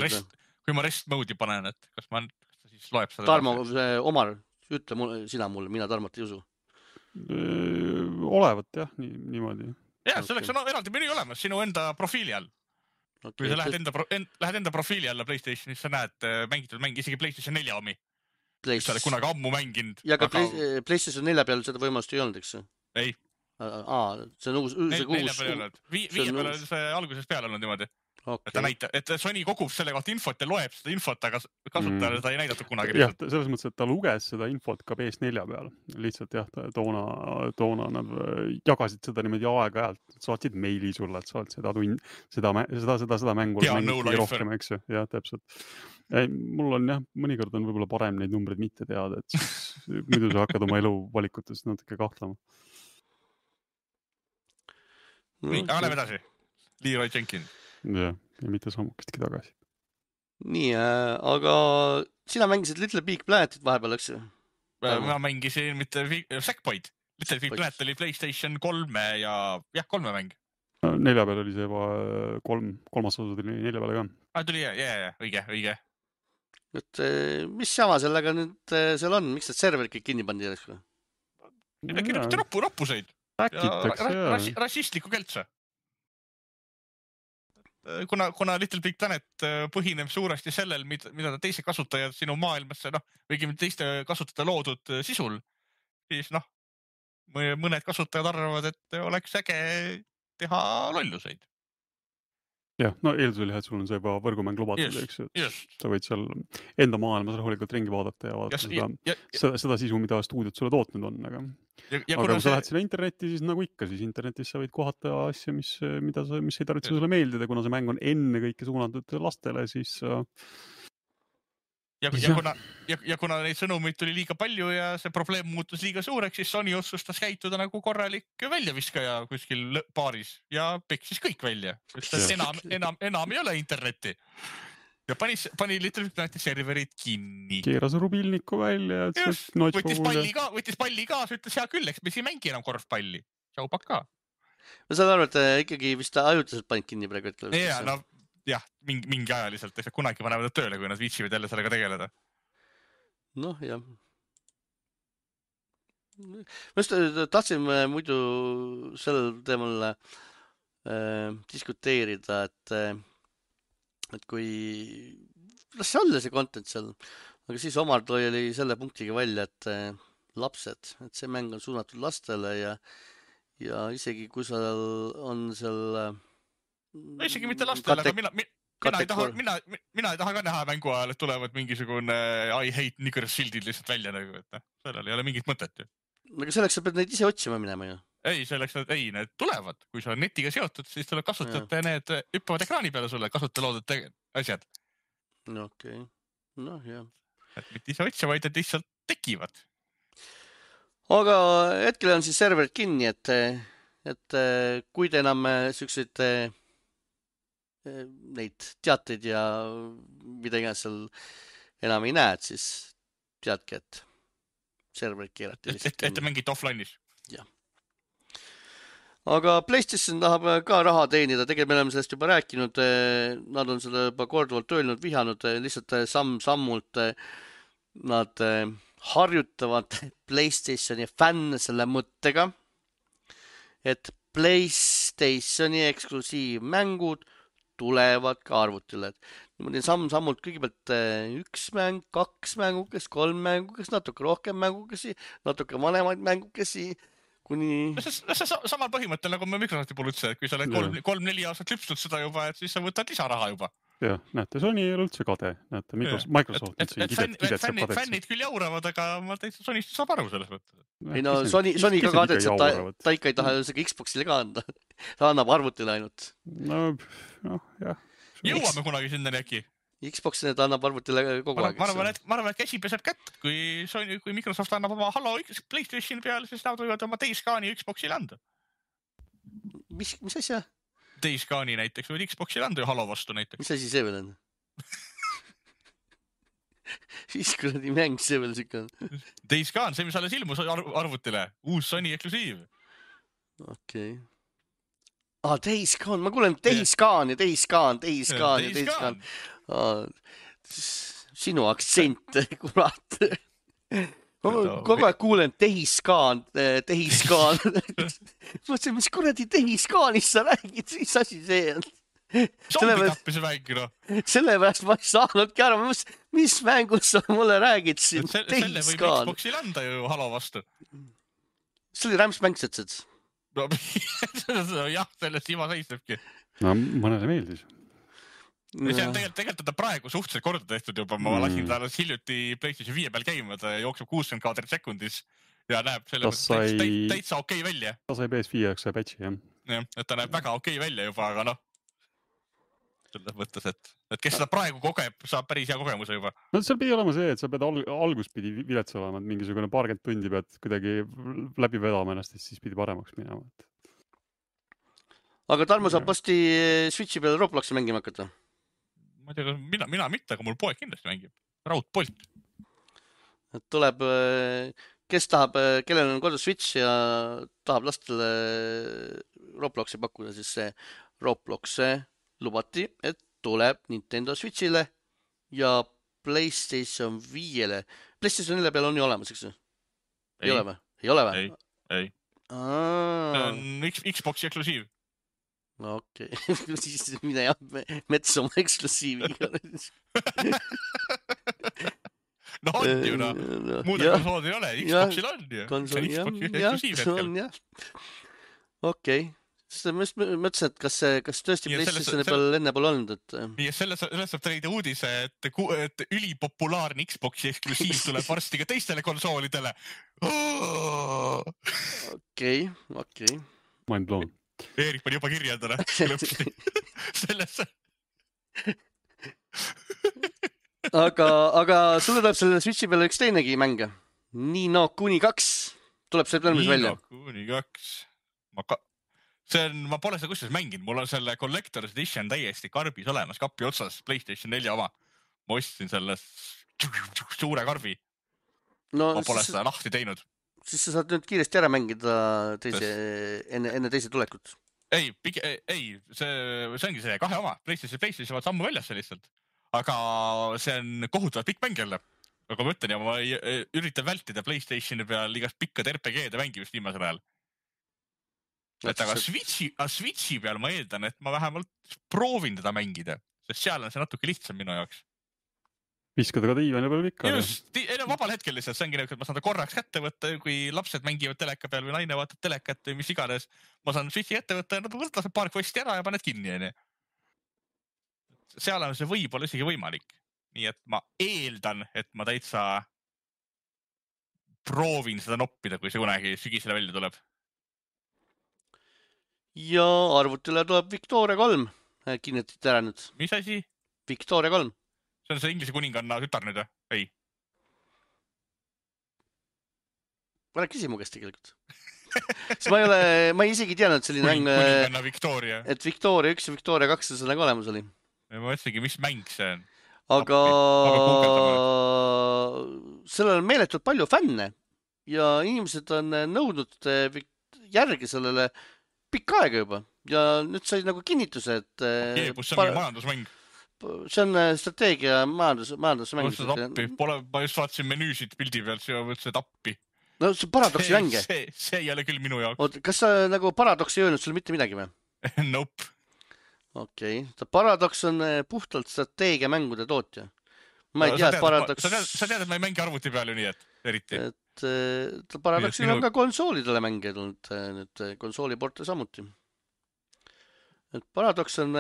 kui ma rest mode'i panen, et kas ta siis loeb seda... Tarmo, Omar, ütle sina mulle, mina Tarmot ei usu. Olevat jah, niimoodi. Jah, selleks on eraldi menü olemas sinu enda profiili all. Kui sa lähed enda profiili alla PlayStationis, sa näed mängitud mängi, isegi PlayStation 4 omi. Sa oled kunagi ammu mänginud. Ja ka PlayStation 4 peal seda võimalust ei olnud, eks? Ei. See on uus... 4 peal ei olnud. 5 peal on see algusest peale olnud niimoodi. Okay. Ta näitab, et Sony kogub selle kohta infot ja loeb seda infot, aga kasutajale seda ei näidatud kunagi. Jah, selles mõttes, et ta luges seda infot ka PS4 peal. Lihtsalt jah, toona nad jagasid seda niimoodi aeg-ajalt, saatsid meili sulle, et sa oled seda mängu mängid rohkem, eks ju. Jah, täpselt. Mul on jah, mõnikord on võib-olla parem neid numbreid mitte teada, et siis muidu sa hakkad oma elu valikutes natuke kahtlema. Nii, aga läheb edasi. Leroy Jenkins. Ja mitte sammukestki tagasi. Nii, aga sina mängisid Little Big Planetit vahepeal, eks ju? Ma mängisin mitte Sackboyd. Little Big Planet oli PlayStation 3 ja 3 mäng. 4 peal oli see juba kolmas osa tuli 4 peale ka. Tuli, õige. Et mis jama sellega nüüd seal on? Miks need serverid kõik kinni pandi järjest? Kirjutate roppuseid. Rassistlikku keltsa. Kuna Little Big Planet põhineb suuresti sellel, mida teised kasutajad sinu maailmasse, või teiste kasutajate loodud sisul, siis mõned kasutajad arvavad, et oleks äge teha lolluseid. Jah, eeldusel et sul on see juba võrgumäng lubatud, eks ju. Sa võid seal enda maailmas rahulikult ringi vaadata ja vaadata seda sisu, mida stuudiot sulle tootnud on. Aga kui sa lähed sinna internetti, siis nagu ikka, siis internetis sa võid kohata asja, mis ei tarvitse sulle meeldida, kuna see mäng on enne kõike suunatud lastele, siis... Ja kuna neid sõnumeid tuli liiga palju ja see probleem muutus liiga suureks, siis Sony otsustas käituda nagu korralik väljaviskaja kuskil baaris ja peksis kõik välja. Enam ei ole internetti. Ja pani Little Big Planeti serverid kinni. Keeras rubilniku välja. Võttis palli kaasa, ütles hea küll, eks me siin mängi enam korvpalli. Tšau paka. Ma saan aru, et ikkagi vist ajutiselt panid kinni praegu hetkel. Jah, mingi ajaliselt, eks kunagi panevad nad tööle, kui nad viitsivad jälle sellega tegeleda. Noh, jah. Ma just tahtsin muidu sellel teemal diskuteerida, et kui las see olla see content seal, aga siis Omar oli selle punktiga välja, et lapsed, et see mäng on suunatud lastele ja isegi kui seal on seal isegi mitte lastele, aga mina ei taha ka näha mängu ajal, et tulevad mingisugune I hate niggers shieldid lihtsalt välja nagu, et sellel ei ole mingit mõtet ju. Aga selleks sa pead neid ise otsima minema ju. Ei, need tulevad. Kui sa on netiga seotud, siis tuleb kasutajate ja need hüppavad ekraani peale sulle, kasutajate loodud asjad. No okei. Noh, jah. Et mitte ise otsima, vaid et lihtsalt tekivad. Aga hetkel on siis serverid kinni, et kui te enam selliseid neid teateid ja mida iganes seal enam ei näed, siis teadki, et serverid keerati. Et te mängite offline'is? Jah. Aga PlayStation tahab ka raha teenida, tegelikult me oleme sellest juba rääkinud, nad on selle juba korduvalt öelnud, vihanud, lihtsalt samm-sammult nad harjutavad PlayStationi fänne selle mõttega, et PlayStationi eksklusiivmängud tulevad ka arvutile. Niimoodi samm-sammult kõigepealt 1 mäng, 2 mängukesi, 3 mängukesi, natuke rohkem mängukesi, natuke vanemaid mängukesi, kuni... See samal põhimõttel, nagu me Microsofti puhul ütlesin, et kui sa oled 3-4 aastat lüpsnud seda juba, et siis sa võtad lisaraha juba. Jah, näete, Sony ei ole üldse kade. Näete, Microsoft kidetseb kadets. Fännid küll jauravad, aga ma täitsa Sonist saab aru selles mõttes. Ei no, Sony ka kadetseb, ta ikka ei taha isegi Xboxile ka anda. Ta annab arvutile ainult. No, jah. Jõuame kunagi sinnani äkki. Xboxile ta annab arvutile kogu aeg. Ma arvan, et käsi peseb kätt, kui Microsoft annab oma Halo PlayStation peale, siis nad võivad oma Days Gone'i Xboxile anda. Mis asja? Days Gone'i näiteks võid Xboxile anda ju Halo vastu näiteks. Mis asi see veel on? Siis kuradi mäng see veel siuke on. Days Gone, see mis alles ilmus arvutile. Uus Sony eksklusiiv. Okei. Days Gone, ma kuulen Days Gone ja Days Gone, Days Gone ja Days Gone. Sinu aktsent, kurat. Kogu aeg kuulen Days Gone. Mõtlesin, mis kuradi Days Gone'ist sa räägid, mis asi see on? Zombitappis mäng, no. Sellepärast ma ei saanudki aru, mis mängust sa mulle räägid siin. Selle võib Xboxil anda ju Halo vastu. See oli rämps mäng, sõtsed. No jah, sellest ima seisnebki. No mõnele meeldis. See on tegelikult praegu suhteliselt korda tehtud juba. Ma lasin ta hiljuti PlayStation 5 peal käima, ta jookseb 60 kaadrit sekundis ja näeb selle täitsa okei välja. Ta sai PS5 jaoks see patchi, jah. Jah, et ta näeb väga okei välja juba, aga noh. Selles mõttes, et kes seda praegu kogeb, saab päris hea kogemuse juba. No seal pidi olema see, et sa pead alguspidi vilets olema, et mingisugune paarkümmend tundi pead kuidagi läbi vedama ennast, siis pidi paremaks minema. Aga Tarmo saab vasti Switchi peale Robloxi mängima hakata? Ma ei tea, mina mitte, aga mul poeg kindlasti mängib. Raudpolt. Tuleb, kes tahab, kellel on kodus Switch ja tahab lastele Robloxi pakkuda, siis see Roblox lubati, et tuleb Nintendo Switchile ja PlayStation 5-le. PlayStation 4 peal on ju olemas, eks? Ei ole või? Ei ole või? Ei. See on Xboxi eksklusiiv. Okei, siis mine jah metsa oma eksklusiiviga. No on ju, no. Muude konsoolid ei ole, Xboxil on ju. Konsool, jah. Okei. Ma mõtlesin, et kas tõesti PlayStationi peal enne pole olnud, Ja selles saab leida uudise, et ülipopulaarne Xboxi eksklusiiv tuleb varsti ka teistele konsoolidele. Okei. Mind blown. Eerik pani juba kirjeldada lõpsti sellesse. Aga sulle tuleb selle Switchi peale üks teinegi mänge. Ni no Kuni 2 tuleb see plõmmis välja. Ni no Kuni 2. Ma pole seda kusjuures mänginud. Mul on selle Collector's Edition täiesti karbis olemas, kapi otsas, PlayStation 4 oma. Ma ostsin selle suure karbi. Ma pole seda lahti teinud. Siis sa saad nüüd kiiresti ära mängida enne teise tulekut. Ei, see ongi see 2 oma. PlayStation vaat sammu väljas see lihtsalt. Aga see on kohutavalt pikk mäng jälle. Aga ma ütlen, ja ma üritan vältida PlayStationi peal igast pikkade RPG-de mängimist viimasel ajal. Aga Switchi peal ma eeldan, et ma vähemalt proovin teda mängida, sest seal on see natuke lihtsam minu jaoks. Viskada ka diivani peal ikka. Just, vabal hetkel lihtsalt, see ongi nagu, et ma saan ta korraks kätte võtta, kui lapsed mängivad teleka peal või naine vaatab telekat või mis iganes. Ma saan Switchi ette võtta ja nad võtavad paar kosti ära ja paned kinni. Seal on see võib-olla isegi võimalik. Nii et ma eeldan, et ma täitsa proovin seda noppida, kui see kunagi sügisele välja tuleb. Ja arvutile tuleb Victoria 3. Kinnetid ära nüüd. Mis asi? Victoria 3. See on see Inglise kuninganna tütar nüüd, ei? Ma rääkisi mu käest tegelikult. Ma ei isegi teadnud, et selline mäng, kuninganna Victoria. Et Victoria 1 ja Victoria 2 see nagu olemas oli. Ma mõtlesingi, mis mäng see on. Aga sellel on meeletult palju fänne ja inimesed on nõudnud järgi sellele pikka aega juba ja nüüd sai nagu kinnituse, et see on majandusmäng. See on strateegia majandusmäng. Ma just vaatasin menüüsid pildi pealt, see mõtlesin tappi. No see paradoksi mänge. See ei ole küll minu jaoks. Oot, kas sa nagu paradoks ei öelnud sulle mitte midagi või? Nope. Okei. Paradoks on puhtalt strateegia mängude tootja. Ma ei tea, et paradoks... Sa tead, et ma ei mängi arvuti peal ju nii, et eriti. Paradoxil on ka konsoolidele mänge tulnud, nüüd konsooliporte samuti. Et Paradox on,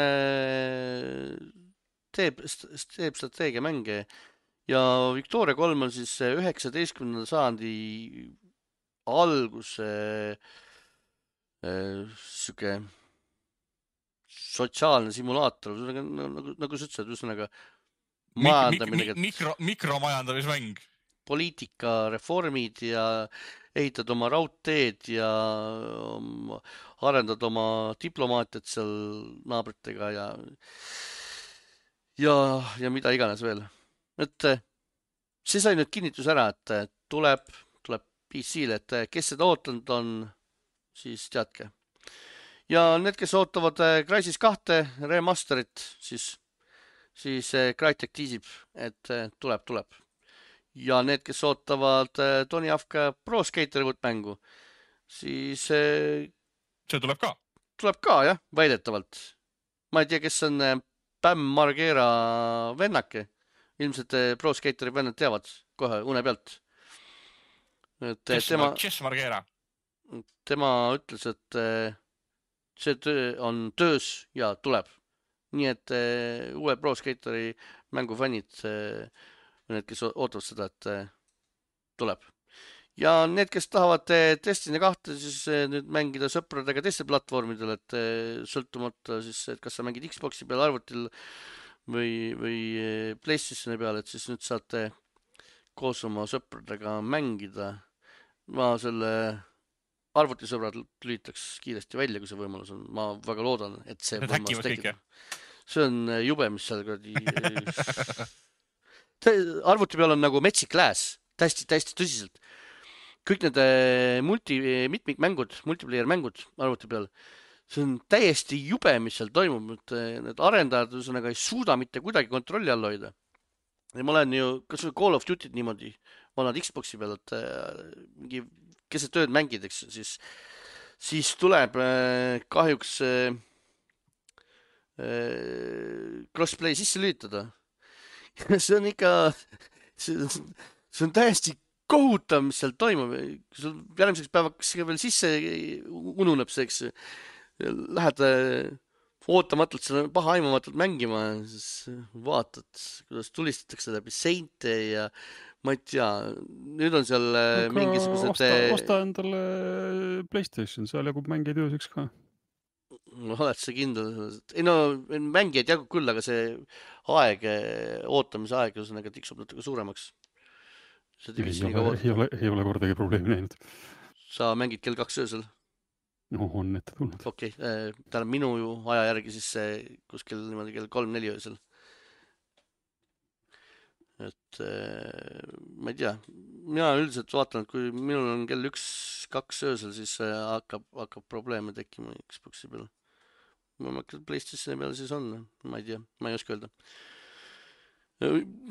teeb strateegiamänge ja Victoria 3 on siis 19. sajandi alguse siuke sotsiaalne simulaator, nagu sa ütlesid, ühesõnaga majandamine, mikromajandamismäng, poliitikareformid ja ehitad oma raudteed ja arendad oma diplomaatiat seal naabritega ja mida iganes veel. Et see sai nüüd kinnitus ära, et tuleb PC-le, et kes seda ootanud on, siis teadke. Ja need, kes ootavad Crysis 2 remasterit, siis Crytek tiisib, et tuleb. Ja need, kes ootavad Tony Hawk Pro Skater mängu, siis see tuleb ka. Tuleb ka, jah, väidetavalt. Ma ei tea, kes on Bam Margera vennake. Ilmselt Pro Skateri vennad teavad kohe une pealt. Kes Margera? Tema ütles, et see töö on töös ja tuleb. Nii et uue Pro Skateri mängufännid, need, kes ootavad seda, et tuleb. Ja need, kes tahavad Destiny 2 siis nüüd mängida sõpradega teistel platvormidel, et sõltumata siis, et kas sa mängid Xboxi peal, arvutil või PlayStationi peal, et siis nüüd saate koos oma sõpradega mängida. Ma selle arvutisõbrad lülitaks kiiresti välja, kui see võimalus on. Ma väga loodan, et see võimalus tekib. See on jube, mis seal arvuti peal on nagu metsik lääs, täiesti tõsiselt. Kõik need mitmikmängud, multiplayer mängud arvuti peal, see on täiesti jube, mis seal toimub. Need arendajad ei suuda mitte kuidagi kontrolli all hoida. Ja ma olen ju, kas või Call of Duty't niimoodi, ma olen Xboxi peal, et mingi keset tööd mängid, eks, siis tuleb kahjuks crossplay sisse lülitada. See on ikka, see on täiesti kohutav, mis seal toimub. Kui sul järgmiseks päevaks veel sisse ununeb see, eks, lähed ootamatult selle pahaimamatult mängima, siis vaatad, kuidas tulistatakse läbi seinte ja ma ei tea, nüüd on seal mingisugused... Osta endale PlayStation, seal jagub mängijaid ööseks ka. No oled sa kindel? Ei no, mängijaid jagub küll, aga see aeg, ootamise aeg tiksub natuke suuremaks. Ei ole kordagi probleemi näinud. Sa mängid kell 2 öösel? No on ette tulnud. Okei, tähendab minu aja järgi siis kuskil niimoodi kell 3-4 öösel. Et ma ei tea, mina üldiselt vaatan, et kui minul on kell 1-2 öösel, siis hakkab probleeme tekkima Xboxi peal. Ma PlayStationi peal siis on, ma ei tea, ma ei oska öelda.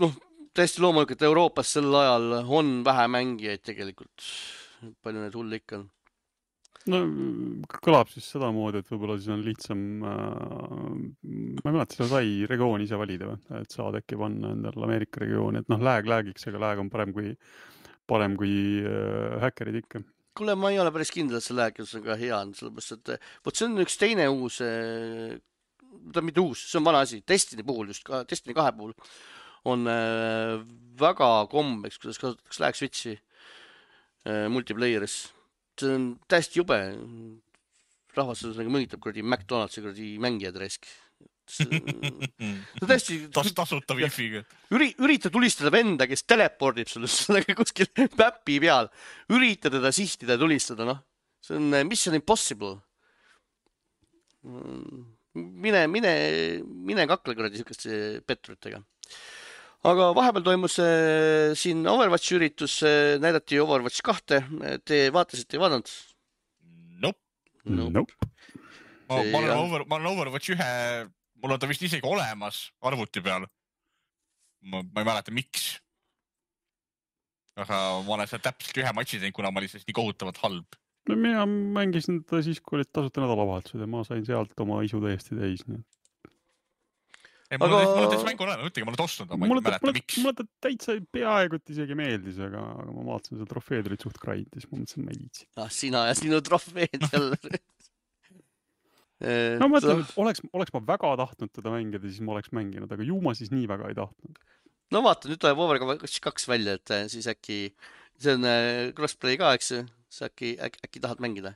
Noh, täiesti loomulikult Euroopas sel ajal on vähe mängijaid tegelikult. Palju need hull ikka on. No kõlab siis seda moodi, et võib-olla siis on lihtsam, ma ei mäleta, seda sai regioon ise valida või, et saad äkki panna endal Ameerika regiooni, et noh, läägiks, aga lääg on parem kui häkkerid ikka. Kuule, ma ei ole päris kindel, et see läägius on ka hea, sellepärast, et võt see on üks teine uus, ta mitte uus, see on vana asi, Destiny puhul, just Destiny 2 puhul on väga kombeks, kuidas kasutatakse läägsvitsi multiplayeris. See on täiesti jube. Rahvas mõnitab kuradi McDonaldsi kuradi mängijad resk. Tasuta wifi'ga. Ürita tulistada venda, kes telepordib sulle kuskil päppi peal. Ürita teda sihtida ja tulistada, noh. See on mission impossible. Mine kakle kuradi sihukeste petturitega. Aga vahepeal toimus siin Overwatchi üritus, näidati Overwatch 2. Te vaatasite, ei vaadanud? Nope. Ma olen Overwatch 1, mul on ta vist isegi olemas arvuti peal. Ma ei mäleta, miks. Aga ma olen seal täpselt ühe matši teinud, kuna ma olin nii kohutavalt halb. Mina mängisin ta siis, kui olid tasuta nädalavahetused ja ma sain sealt oma isu täiesti täis. mul on täitsa mängu olema, ütlegi, ma olen ostnud, ma ei mäleta, miks. Mulle ta täitsa peaaegu isegi meeldis, aga ma vaatasin, seda trofeed olid suht kraid, siis ma mõtlesin, et ma ei viitsi. Sina ja sinu trofeed jälle. No ma mõtlen, et oleks ma väga tahtnud teda mängida, siis ma oleks mänginud, aga ju ma siis nii väga ei tahtnud. No vaata, nüüd tuleb Overwatch 2 välja, et siis äkki, see on crossplay ka, eks ju, siis äkki tahad mängida.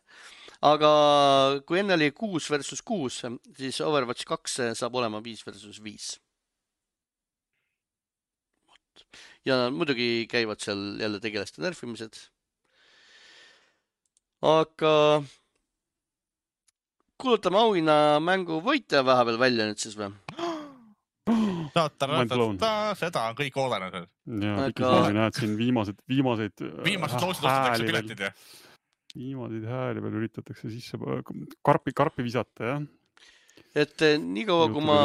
Aga kui enne oli 6 versus 6, siis Overwatch 2 saab olema 5 versus 5. Ja muidugi käivad seal jälle tegelaste nerfimised. Aga kuulutame auhinna mängu võitja vahepeal välja nüüd siis või? Seda on kõik oodanud. Ja pikisõngi näed siin viimased loosid ostetakse piletid, jah? Viimaseid hääli veel üritatakse sisse karpi visata, jah? Et nii kaua, kui ma...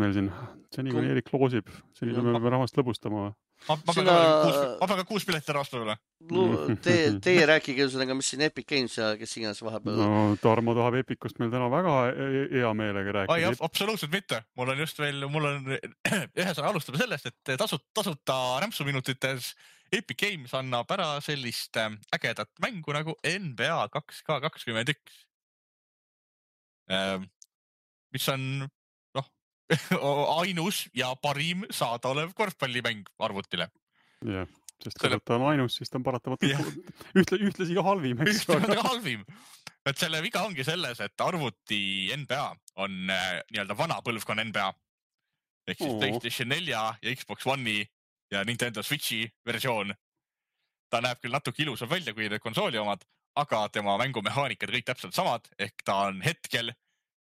meil siin. Seni, kui Erik loosib. Seni peame rahvast lõbustama. Ma pean ka 6 piletit ära ostma üle. Teie rääkige ühesõnaga, mis siin Epic Games ja kes iganes vahepeal... No Tarmo tahab Epicust meil täna väga hea meelega rääkida. Absoluutselt mitte. Mul on ühesõnaga alustame sellest, et tasuta rämpsuminutites Epic Games annab ära sellist ägedat mängu nagu NBA 2K21. Mis on ainus ja parim saadaolev korvpallimäng arvutile. Jah, sest kui ta on ainus, siis ta on paratamatult ühtlasi ka halvim. Ühtlasi ka halvim. Et selle viga ongi selles, et arvuti NBA on nii-öelda vana põlvkonna NBA. Ehk siis PlayStation 4 ja Xbox One'i ja Nintendo Switchi versioon. Ta näeb küll natuke ilusam välja kui need konsooli omad, aga tema mängumehaanikad kõik täpselt samad, ehk ta on hetkel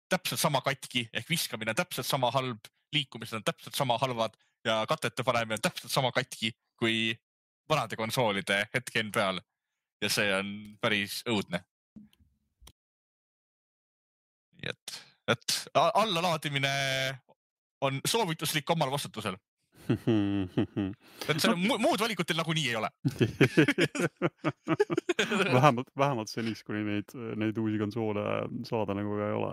täpselt sama katki, ehk viskamine on täpselt sama halb, liikumised on täpselt sama halvad ja katete panemine on täpselt sama katki kui vanade konsoolide hetken peal. Ja see on päris õudne. Nii et allalaadimine on soovituslik omal vastutusel. Et muud valikutel nagu nii ei ole. vähemalt seniks, kuni neid uusi konsoole saada nagu ka ei ole.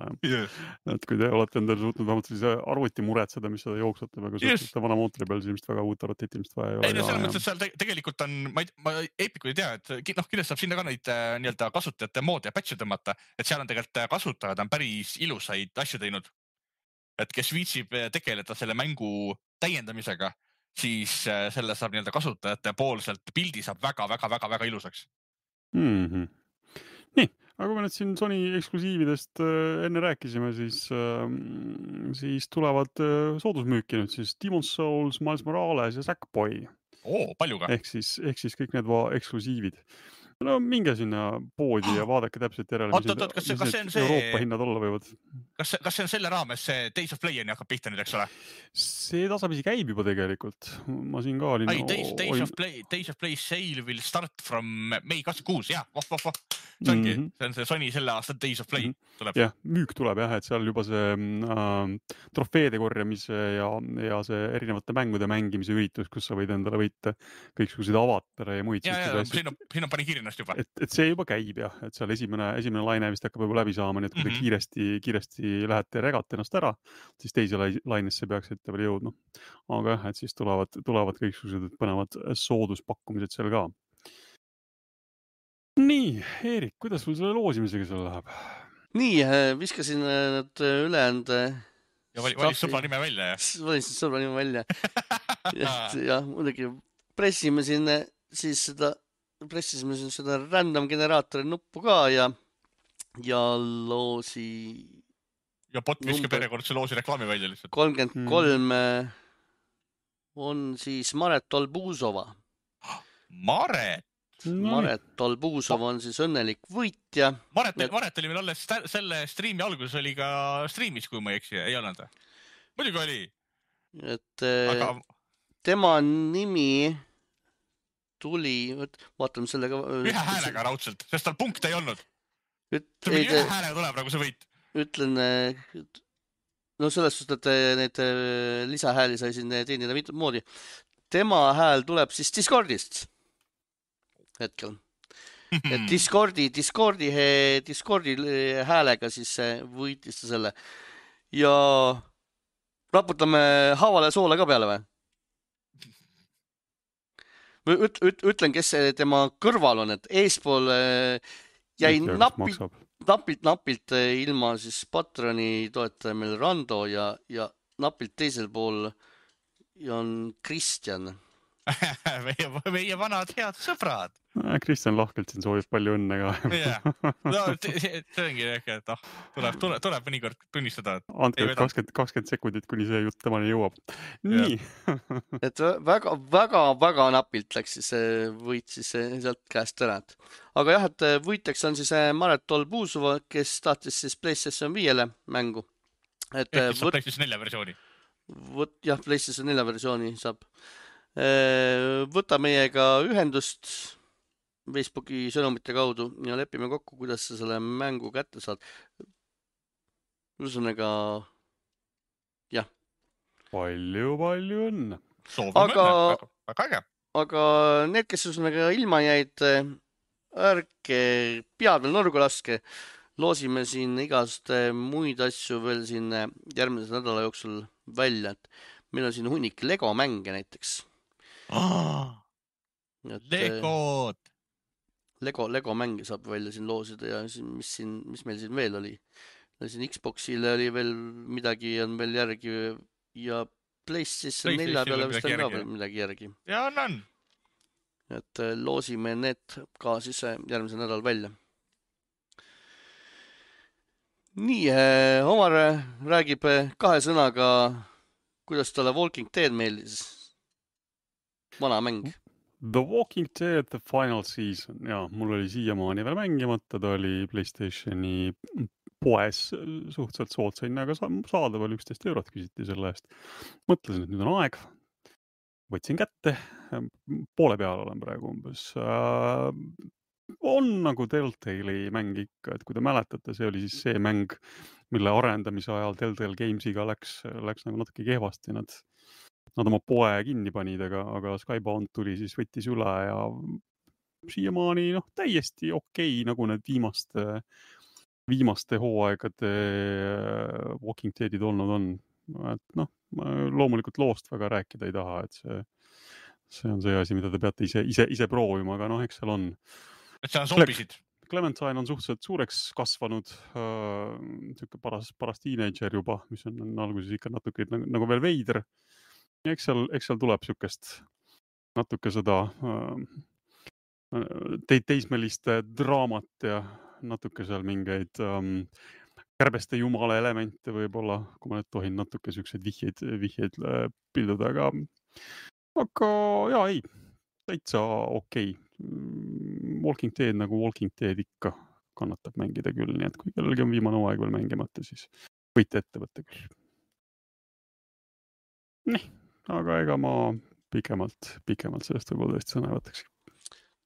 Et kui te olete endale suutnud vähemalt siis arvuti muretseda, mis seda jooksutab, aga suhteliselt vana mootori peal siis väga uut arvutit ilmselt vaja ei ole. Ei, no selles mõttes, et seal tegelikult on, ma Epicu ei tea, et kindlasti saab sinna ka neid nii-öelda kasutajate moodi ja patch'e tõmmata, et seal on tegelikult kasutajad on päris ilusaid asju teinud. Et kes viitsib tegeleda selle mängu täiendamisega, siis selle saab nii-öelda kasutajate poolselt pildi saab väga ilusaks. Nii, aga kui me nüüd siin Sony eksklusiividest enne rääkisime, siis tulevad soodusmüüki nüüd siis Demon's Souls, Miles Morales ja Sackboy. Palju ka. Ehk siis kõik need eksklusiivid. No minge sinna poodi ja vaadake täpselt järele, mis need Euroopa hinnad olla võivad. Kas see on selle raames see Days of Play'ni hakkab pihta nüüd, eks ole? See tasapisi käib juba tegelikult. Ma siin ka olin... Days of Play sale will start from May 26, jah. See ongi, see on see Sony selle aasta Days of Play tuleb. Jah, müük tuleb jah, et seal juba see trofeede korjamise ja see erinevate mängude mängimise üritus, kus sa võid endale võita kõiksuguseid avatare ja muid. Siin on pani kirjennast juba. Et see juba käib jah, et seal esimene laine vist hakkab juba läbi saama, nii et kui te kiiresti lähete ja regate ennast ära, siis teise lainesse peaksite veel jõudma. Aga jah, et siis tulevad kõiksuguseid põnevad sooduspakkumised seal ka. Nii, Eerik, kuidas sul selle loosimisega seal läheb? Nii, viskasin need ülejäänud... Ja valis sõbra nime välja, jah? Valisin sõbra nime välja. Ja muidugi pressisime siin seda random generaatori nuppu ka ja loosi... Ja bot viskab järjekordse loosi reklaami välja lihtsalt. 33 on siis Maret Olbuzova. Maret Olbuzov on siis õnnelik võitja. Maret oli meil alles selle striimi alguses oli ka striimis, kui ma ei eksi, ei olnud. Muidugi oli. Et tema nimi tuli, vaatame sellega... Ühe häälega raudselt, sest tal punkte ei olnud. Ühe häälega tuleb nagu see võit. Ütlen, no selles suhtes, et need lisahääli sai siin teenida mitut moodi. Tema hääl tuleb siis Discordist hetkel. Et Discordi häälega siis võitis ta selle. Ja raputame haavale soola ka peale või? Ütlen, kes tema kõrval on, et eespool jäi napilt ilma siis patroni toetaja meil Rando ja napilt teisel pool on Kristjan. meie vanad head sõbrad. Kristjan lahkelt siin soovib palju õnne ka. No, see ongi äkki, et tuleb mõnikord tunnistada. Andke 20 sekundit, kuni see jutt temani jõuab. Nii. Et väga napilt läks siis võit siis sealt käest ära. Aga jah, et võitjaks on siis Maret Olbuzova, kes tahtis siis PlayStation 5 mängu. Ehk kes saab PlayStation 4 versiooni. Jah, PlayStation 4 versiooni saab. Võta meiega ühendust Facebooki sõnumite kaudu ja lepime kokku, kuidas sa selle mängu kätte saad. Ühesõnaga, jah. Palju õnne. Aga need, kes ühesõnaga ilma jäid, ärge pead veel nurgu laske. Loosime siin igast muid asju veel siin järgmise nädala jooksul välja. Et meil on siin hunnik Lego mänge näiteks. Lego mänge saab välja siin loosida ja mis meil siin veel oli. Siin Xboxile oli veel midagi on veel järgi ja PlayStation 4 peale vist on ka veel midagi järgi. Ja on. Et loosime need ka siis järgmise nädal välja. Nii, Omar räägib 2 sõnaga, kuidas talle Walking Dead meeldis. Vana mäng. The Walking Dead The Final Season. Ja, mul oli siiamaani veel mängimata. Ta oli PlayStationi poes suhteliselt soodsa hinnaga saadaval, 11 eurot küsiti selle eest. Mõtlesin, et nüüd on aeg. Võtsin kätte. Poole peal olen praegu umbes. On nagu Telltale'i mäng ikka, et kui te mäletate, see oli siis see mäng, mille arendamise ajal Telltale Gamesiga läks nagu natuke kehvasti. Nad oma poe kinni panid, aga Skybound tuli siis võttis üle ja siiamaani täiesti okei, nagu need viimaste hooaegade Walking Deadid olnud on. Et loomulikult loost väga rääkida ei taha, et see on see asi, mida te peate ise proovima, aga eks seal on. Et seal on zombisid. Clementine on suhteliselt suureks kasvanud, paras teenager juba, mis on alguses ikka natuke nagu veel veider. Ja eks seal tuleb sükest natuke seda teismeliste draamat ja natuke seal mingeid kärbeste jumala elemente võib-olla, kui ma nüüd tohin natuke sükseid vihjeid pilduda, aga jaa, ei, täitsa okei. Walking Dead nagu Walking Dead ikka kannatab mängida küll, nii et kui kellelgi on viimane hooaeg veel mängimata, siis võite ette võtta küll. Nii, aga ega ma pikemalt sellest võib-olla tõesti sõna võtaks.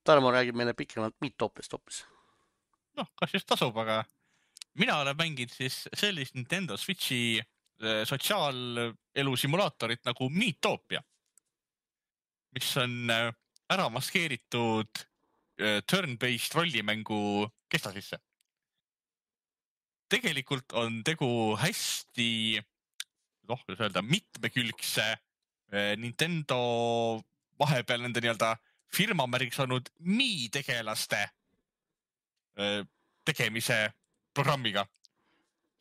Tarmo räägib meile pikemalt Meatopist hoopis. Kas just tasub, aga mina olen mänginud siis sellist Nintendo Switchi sotsiaalelu simulaatorit nagu Meatopia, mis on ära maskeeritud turn-based rollimängu kesta sisse. Tegelikult on tegu hästi, kuidas öelda, mitmekülgse Nintendo vahepeal nende nii-öelda firmamärgiks olnud Mii-tegelaste tegemise programmiga.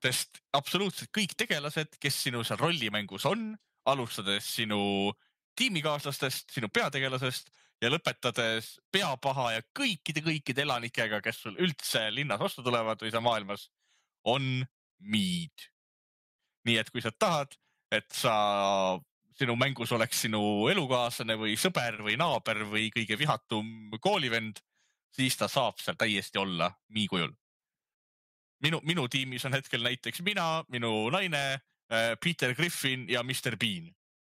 Sest absoluutselt kõik tegelased, kes sinu seal rollimängus on, alustades sinu tiimikaaslastest, sinu peategelasest ja lõpetades peapaha ja kõikide elanikega, kes sul üldse linnas vastu tulevad või sa maailmas, on Miid. Nii et kui sa tahad, et sinu mängus oleks sinu elukaaslane või sõber või naaber või kõige vihatum koolivend, siis ta saab seal täiesti olla Mii kujul. Minu tiimis on hetkel näiteks mina, minu naine, Peter Griffin ja Mr. Bean.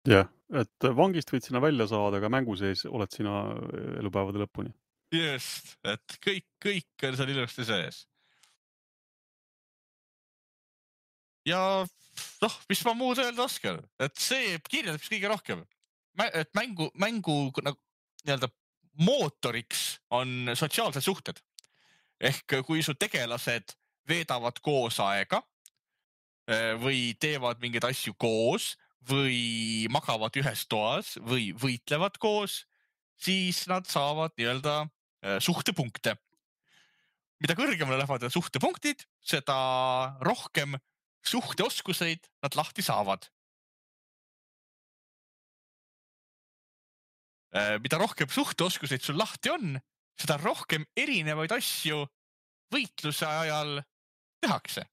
Jah, et vangist võid sina välja saada, aga mängu sees oled sina elupäevade lõpuni. Just, et kõik on seal ilusti sees. Ja mis ma muud öelda oskan, et see kirjeldab kõige rohkem. Et mängu nii-öelda mootoriks on sotsiaalsed suhted. Ehk kui su tegelased veedavad koos aega, või teevad mingeid asju koos või magavad ühes toas või võitlevad koos, siis nad saavad nii-öelda suhtepunkte. Mida kõrgemale lähevad suhtepunktid, seda rohkem suhteoskuseid nad lahti saavad. Mida rohkem suhteoskuseid sul lahti on, seda rohkem erinevaid asju võitluse ajal tehakse.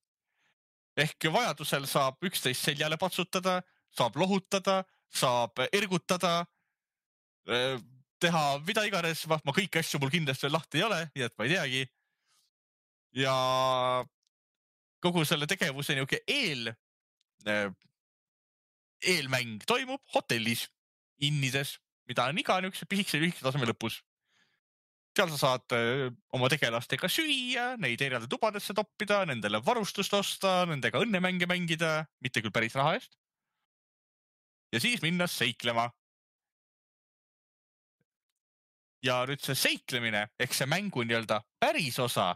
Ehk vajadusel saab üksteist seljale patsutada, saab lohutada, saab ergutada, teha mida iganes, ma kõiki asju mul kindlasti veel lahti ei ole, nii et ma ei teagi. Ja kogu selle tegevuse niisugune eelmäng toimub hotellis, innides, mida on iga niisuguse pisikese taseme lõpus. Seal sa saad oma tegelastega süüa, neid eraldi tubadesse toppida, nendele varustust osta, nendega õnnemänge mängida, mitte küll päris raha eest. Ja siis minna seiklema. Ja nüüd see seiklemine, ehk see mängu nii-öelda päris osa,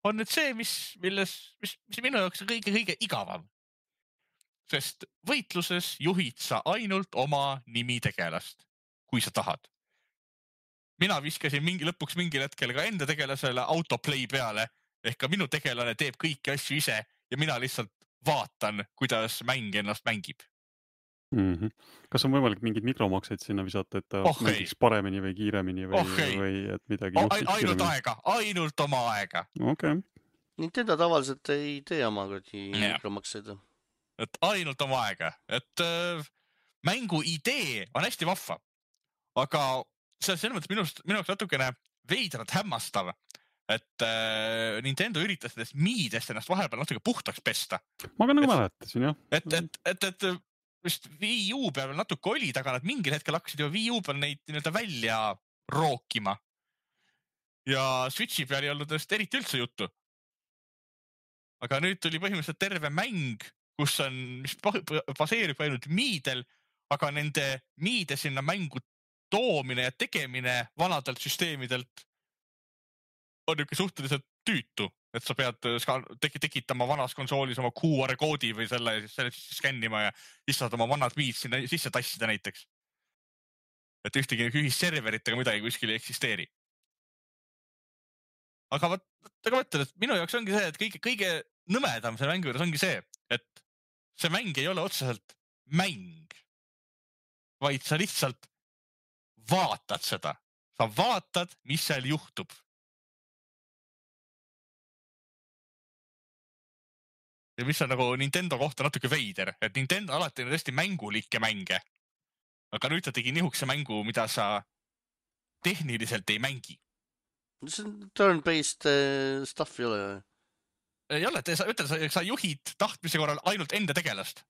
on nüüd see, mis minu jaoks on kõige igavam. Sest võitluses juhid sa ainult oma nimitegelast, kui sa tahad. Mina viskasin lõpuks mingil hetkel ka enda tegelasele autoplay peale, ehk ka minu tegelane teeb kõiki asju ise ja mina lihtsalt vaatan, kuidas mäng ennast mängib. Kas on võimalik mingid mikromakseid sinna visata, et ta mängiks paremini või kiiremini või et midagi juhtiks kiiremini? Ainult oma aega. Okay. Nintendo tavaliselt ei tee oma mikromakseid. Et ainult oma aega. Et mängu idee on hästi vahva. Aga see on selles mõttes minu jaoks natukene veidralt hämmastav, et Nintendo üritas nendest miidest ennast vahepeal natuke puhtaks pesta. Ma ka nagu mäletasin, jah. Et vist Wii U peal natuke olid, aga nad mingil hetkel hakkasid ju Wii U peal neid nii-öelda välja rookima. Ja Switchi peal ei olnud nendest eriti üldse juttu. Aga nüüd tuli põhimõtteliselt terve mäng, mis baseerib ainult miidel, aga nende miide sinna mängu toomine ja tegemine vanadelt süsteemidelt on niisugune suhteliselt tüütu, et sa pead tekitama vanas konsoolis oma QR-koodi või selle skännima ja siis saad oma vanad miid sinna sisse tassida näiteks. Et ühtegi ühisserveritega midagi kuskil ei eksisteeri. Aga ma mõtlen, et minu jaoks ongi see, et kõige nõmedam selle mängu juures ongi see, et see mäng ei ole otseselt mäng, vaid sa lihtsalt vaatad seda. Sa vaatad, mis seal juhtub. Ja mis on nagu Nintendo kohta natuke veider, et Nintendo alati on tõesti mängulikke mänge. Aga nüüd ta tegi nihukese mängu, mida sa tehniliselt ei mängi. See on turn-based stuff ei ole? Ei ole, sa juhid tahtmise korral ainult enda tegelast.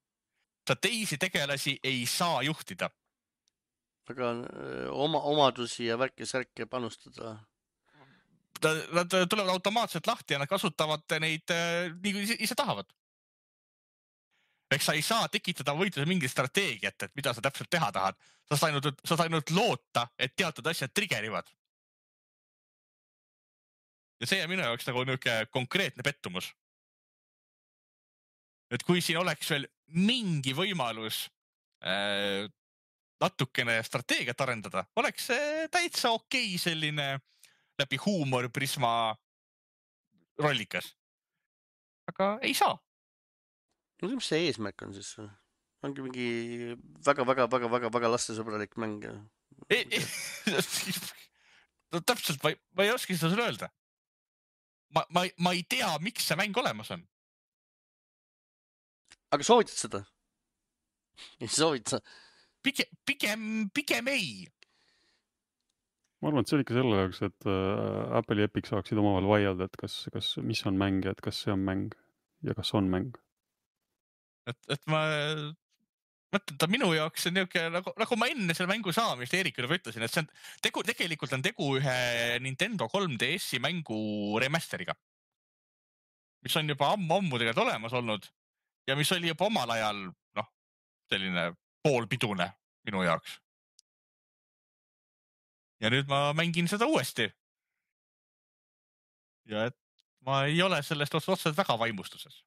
Sa teisi tegelasi ei saa juhtida. Aga omadusi ja värke panustada? Nad tulevad automaatselt lahti ja nad kasutavad neid nii kui ise tahavad. Eks sa ei saa tekitada võitluse mingit strateegiat, et mida sa täpselt teha tahad. Sa saad ainult loota, et teatud asjad triggerivad. Ja see on minu jaoks nagu niisugune konkreetne pettumus. Et kui siin oleks veel mingi võimalus natukene strateegiat arendada, oleks see täitsa okei selline läbi huumorprisma rollikas. Aga ei saa. No, mis see eesmärk on siis? Ongi mingi väga lastesõbralik mäng. No täpselt, ma ei oska seda sulle öelda. Ma ei tea, miks see mäng olemas on. Aga soovitad seda? Ei soovita? Pigem ei. Ma arvan, et see oli ikka selle jaoks, et Apple ja Epic saaksid omavahel vaielda, et mis on mäng ja et kas see on mäng ja kas on mäng. Et ma mõtlen, ta minu jaoks on niisugune, nagu ma enne selle mängu saamist Eerikule ütlesin, et see on tegelikult on tegu ühe Nintendo 3DS-i mängu remasteriga, mis on juba ammu tegelikult olemas olnud ja mis oli juba omal ajal selline poolpidune minu jaoks. Ja nüüd ma mängin seda uuesti. Ja et ma ei ole sellest otseselt väga vaimustuses.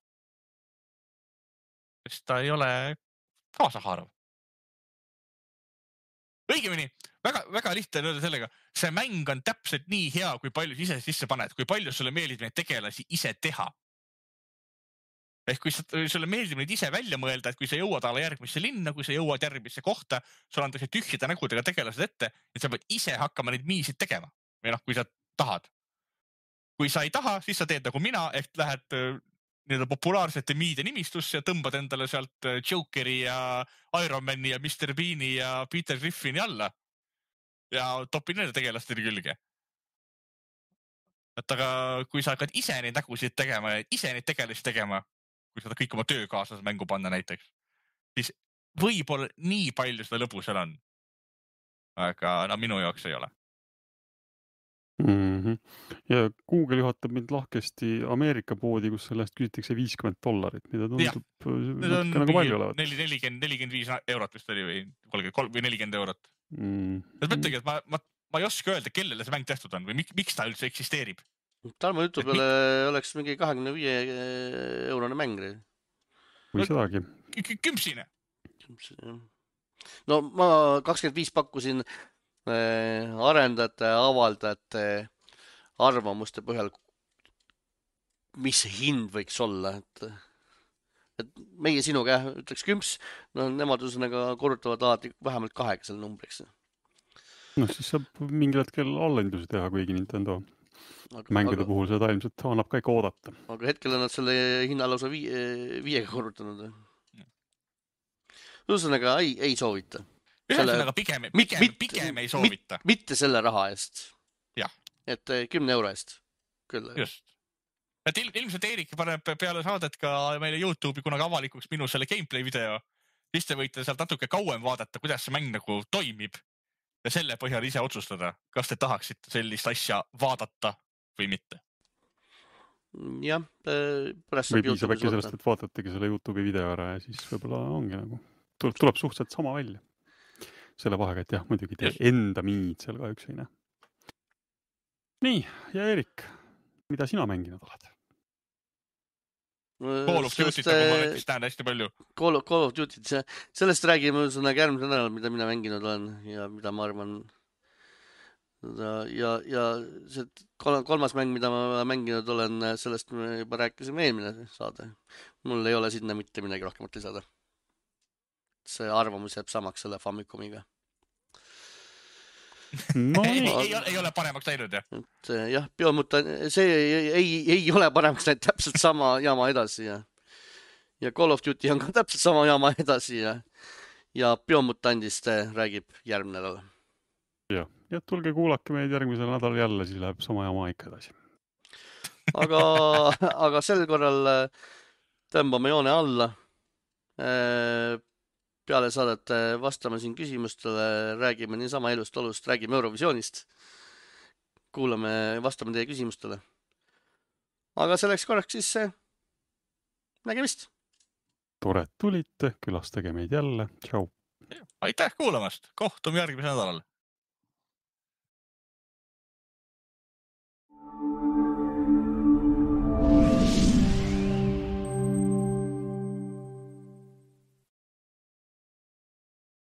sest ta ei ole kaasahaarav. Õigemini, väga lihtne on öelda sellega, see mäng on täpselt nii hea, kui palju ise sisse paned, kui palju sulle meeldib neid tegelasi ise teha. Ehk kui sulle meeldib neid ise välja mõelda, et kui sa jõuad alla järgmisse linna, kui sa jõuad järgmisse kohta, sul antakse tühjade nägudega tegelased ette, et sa pead ise hakkama neid miisid tegema. Või kui sa tahad. Kui sa ei taha, siis sa teed nagu mina, ehk lähed nii-öelda populaarsete miide nimistusse ja tõmbad endale sealt Jokeri ja Ironmani ja Mr. Beani ja Peter Griffini alla. Ja topid nende tegelastele külge. Et aga kui sa hakkad ise neid nägusid tegema ja ise neid tegelasi tegema, kui seda kõik oma töökaaslas mängu panna näiteks, siis võib-olla nii palju seda lõbu seal on. Aga minu jaoks ei ole. Ja Google juhatab mind lahkesti Ameerika poodi, kus sellest küsitakse $50, mida tundub nagu palju olevat. 45 eurot vist oli või 40 eurot. Mõtlegi, et ma ei oska öelda, kellele see mäng tehtud on või miks ta üldse eksisteerib. Tarmo jutu peale oleks mingi 25 eurone mäng. Või sedagi. Kümpsine. No ma 25 pakkusin arendajate, avaldajate arvamuste põhjal, mis see hind võiks olla. Et meie sinuga ütleks kümps, no nemad üsnaga korrutavad alati vähemalt 2 selle numbriks. No siis saab mingil hetkel allendusi teha, kuigi Nintendo mängude puhul seda ilmselt annab ka ikka oodata. Aga hetkel on nad selle hinna lausa 5 korrutanud. Ühesõnaga ei soovita. Ühesõnaga pigem ei soovita. Mitte selle raha eest. Jah. Et 10 euro eest. Küll. Just. Et ilmselt Eerik paneb peale saadet ka meile YouTube'i kunagi avalikuks minu selle gameplay video. Siis te võite sealt natuke kauem vaadata, kuidas see mäng nagu toimib. Ja selle põhjal ise otsustada, kas te tahaksite sellist asja vaadata või mitte. Jah. Või piisab äkki sellest, et vaatategi selle YouTube'i video ära ja siis võib-olla ongi nagu tuleb suhteliselt sama välja. Selle vahega, et jah, muidugi te enda miid seal kahjuks ei näe. Nii, ja Eerik, mida sina mänginud oled? Call of Duty't, nagu ma näiteks näen hästi palju. Call of Duty't, sellest räägime järgmisel nädalal, mida mina mänginud olen ja mida ma arvan. Ja see 3. mäng, mida ma mänginud olen, sellest me juba rääkisime eelmine saade. Mul ei ole sinna mitte midagi rohkemat lisada. See arvamus jääb samaks selle Famicomiga. No, ei ole paremaks läinud, jah? Jah, see ei ole paremaks läinud, täpselt sama jama edasi. Ja Call of Duty on ka täpselt sama jama edasi. Ja Biomutandist räägib järgmine nädal. Ja tulge kuulake meid järgmisel nädal jälle, siis läheb sama jama ikka edasi. Aga sel korral tõmbame joone alla. Peale saadet vastame siin küsimustele, räägime niisama elust olust, räägime Eurovisioonist. Kuulame, vastame teie küsimustele. Aga selleks korraks siis nägemist. Tore, et tulite, külastage meid jälle. Tšau. Aitäh kuulamast. Kohtume järgmisel nädalal.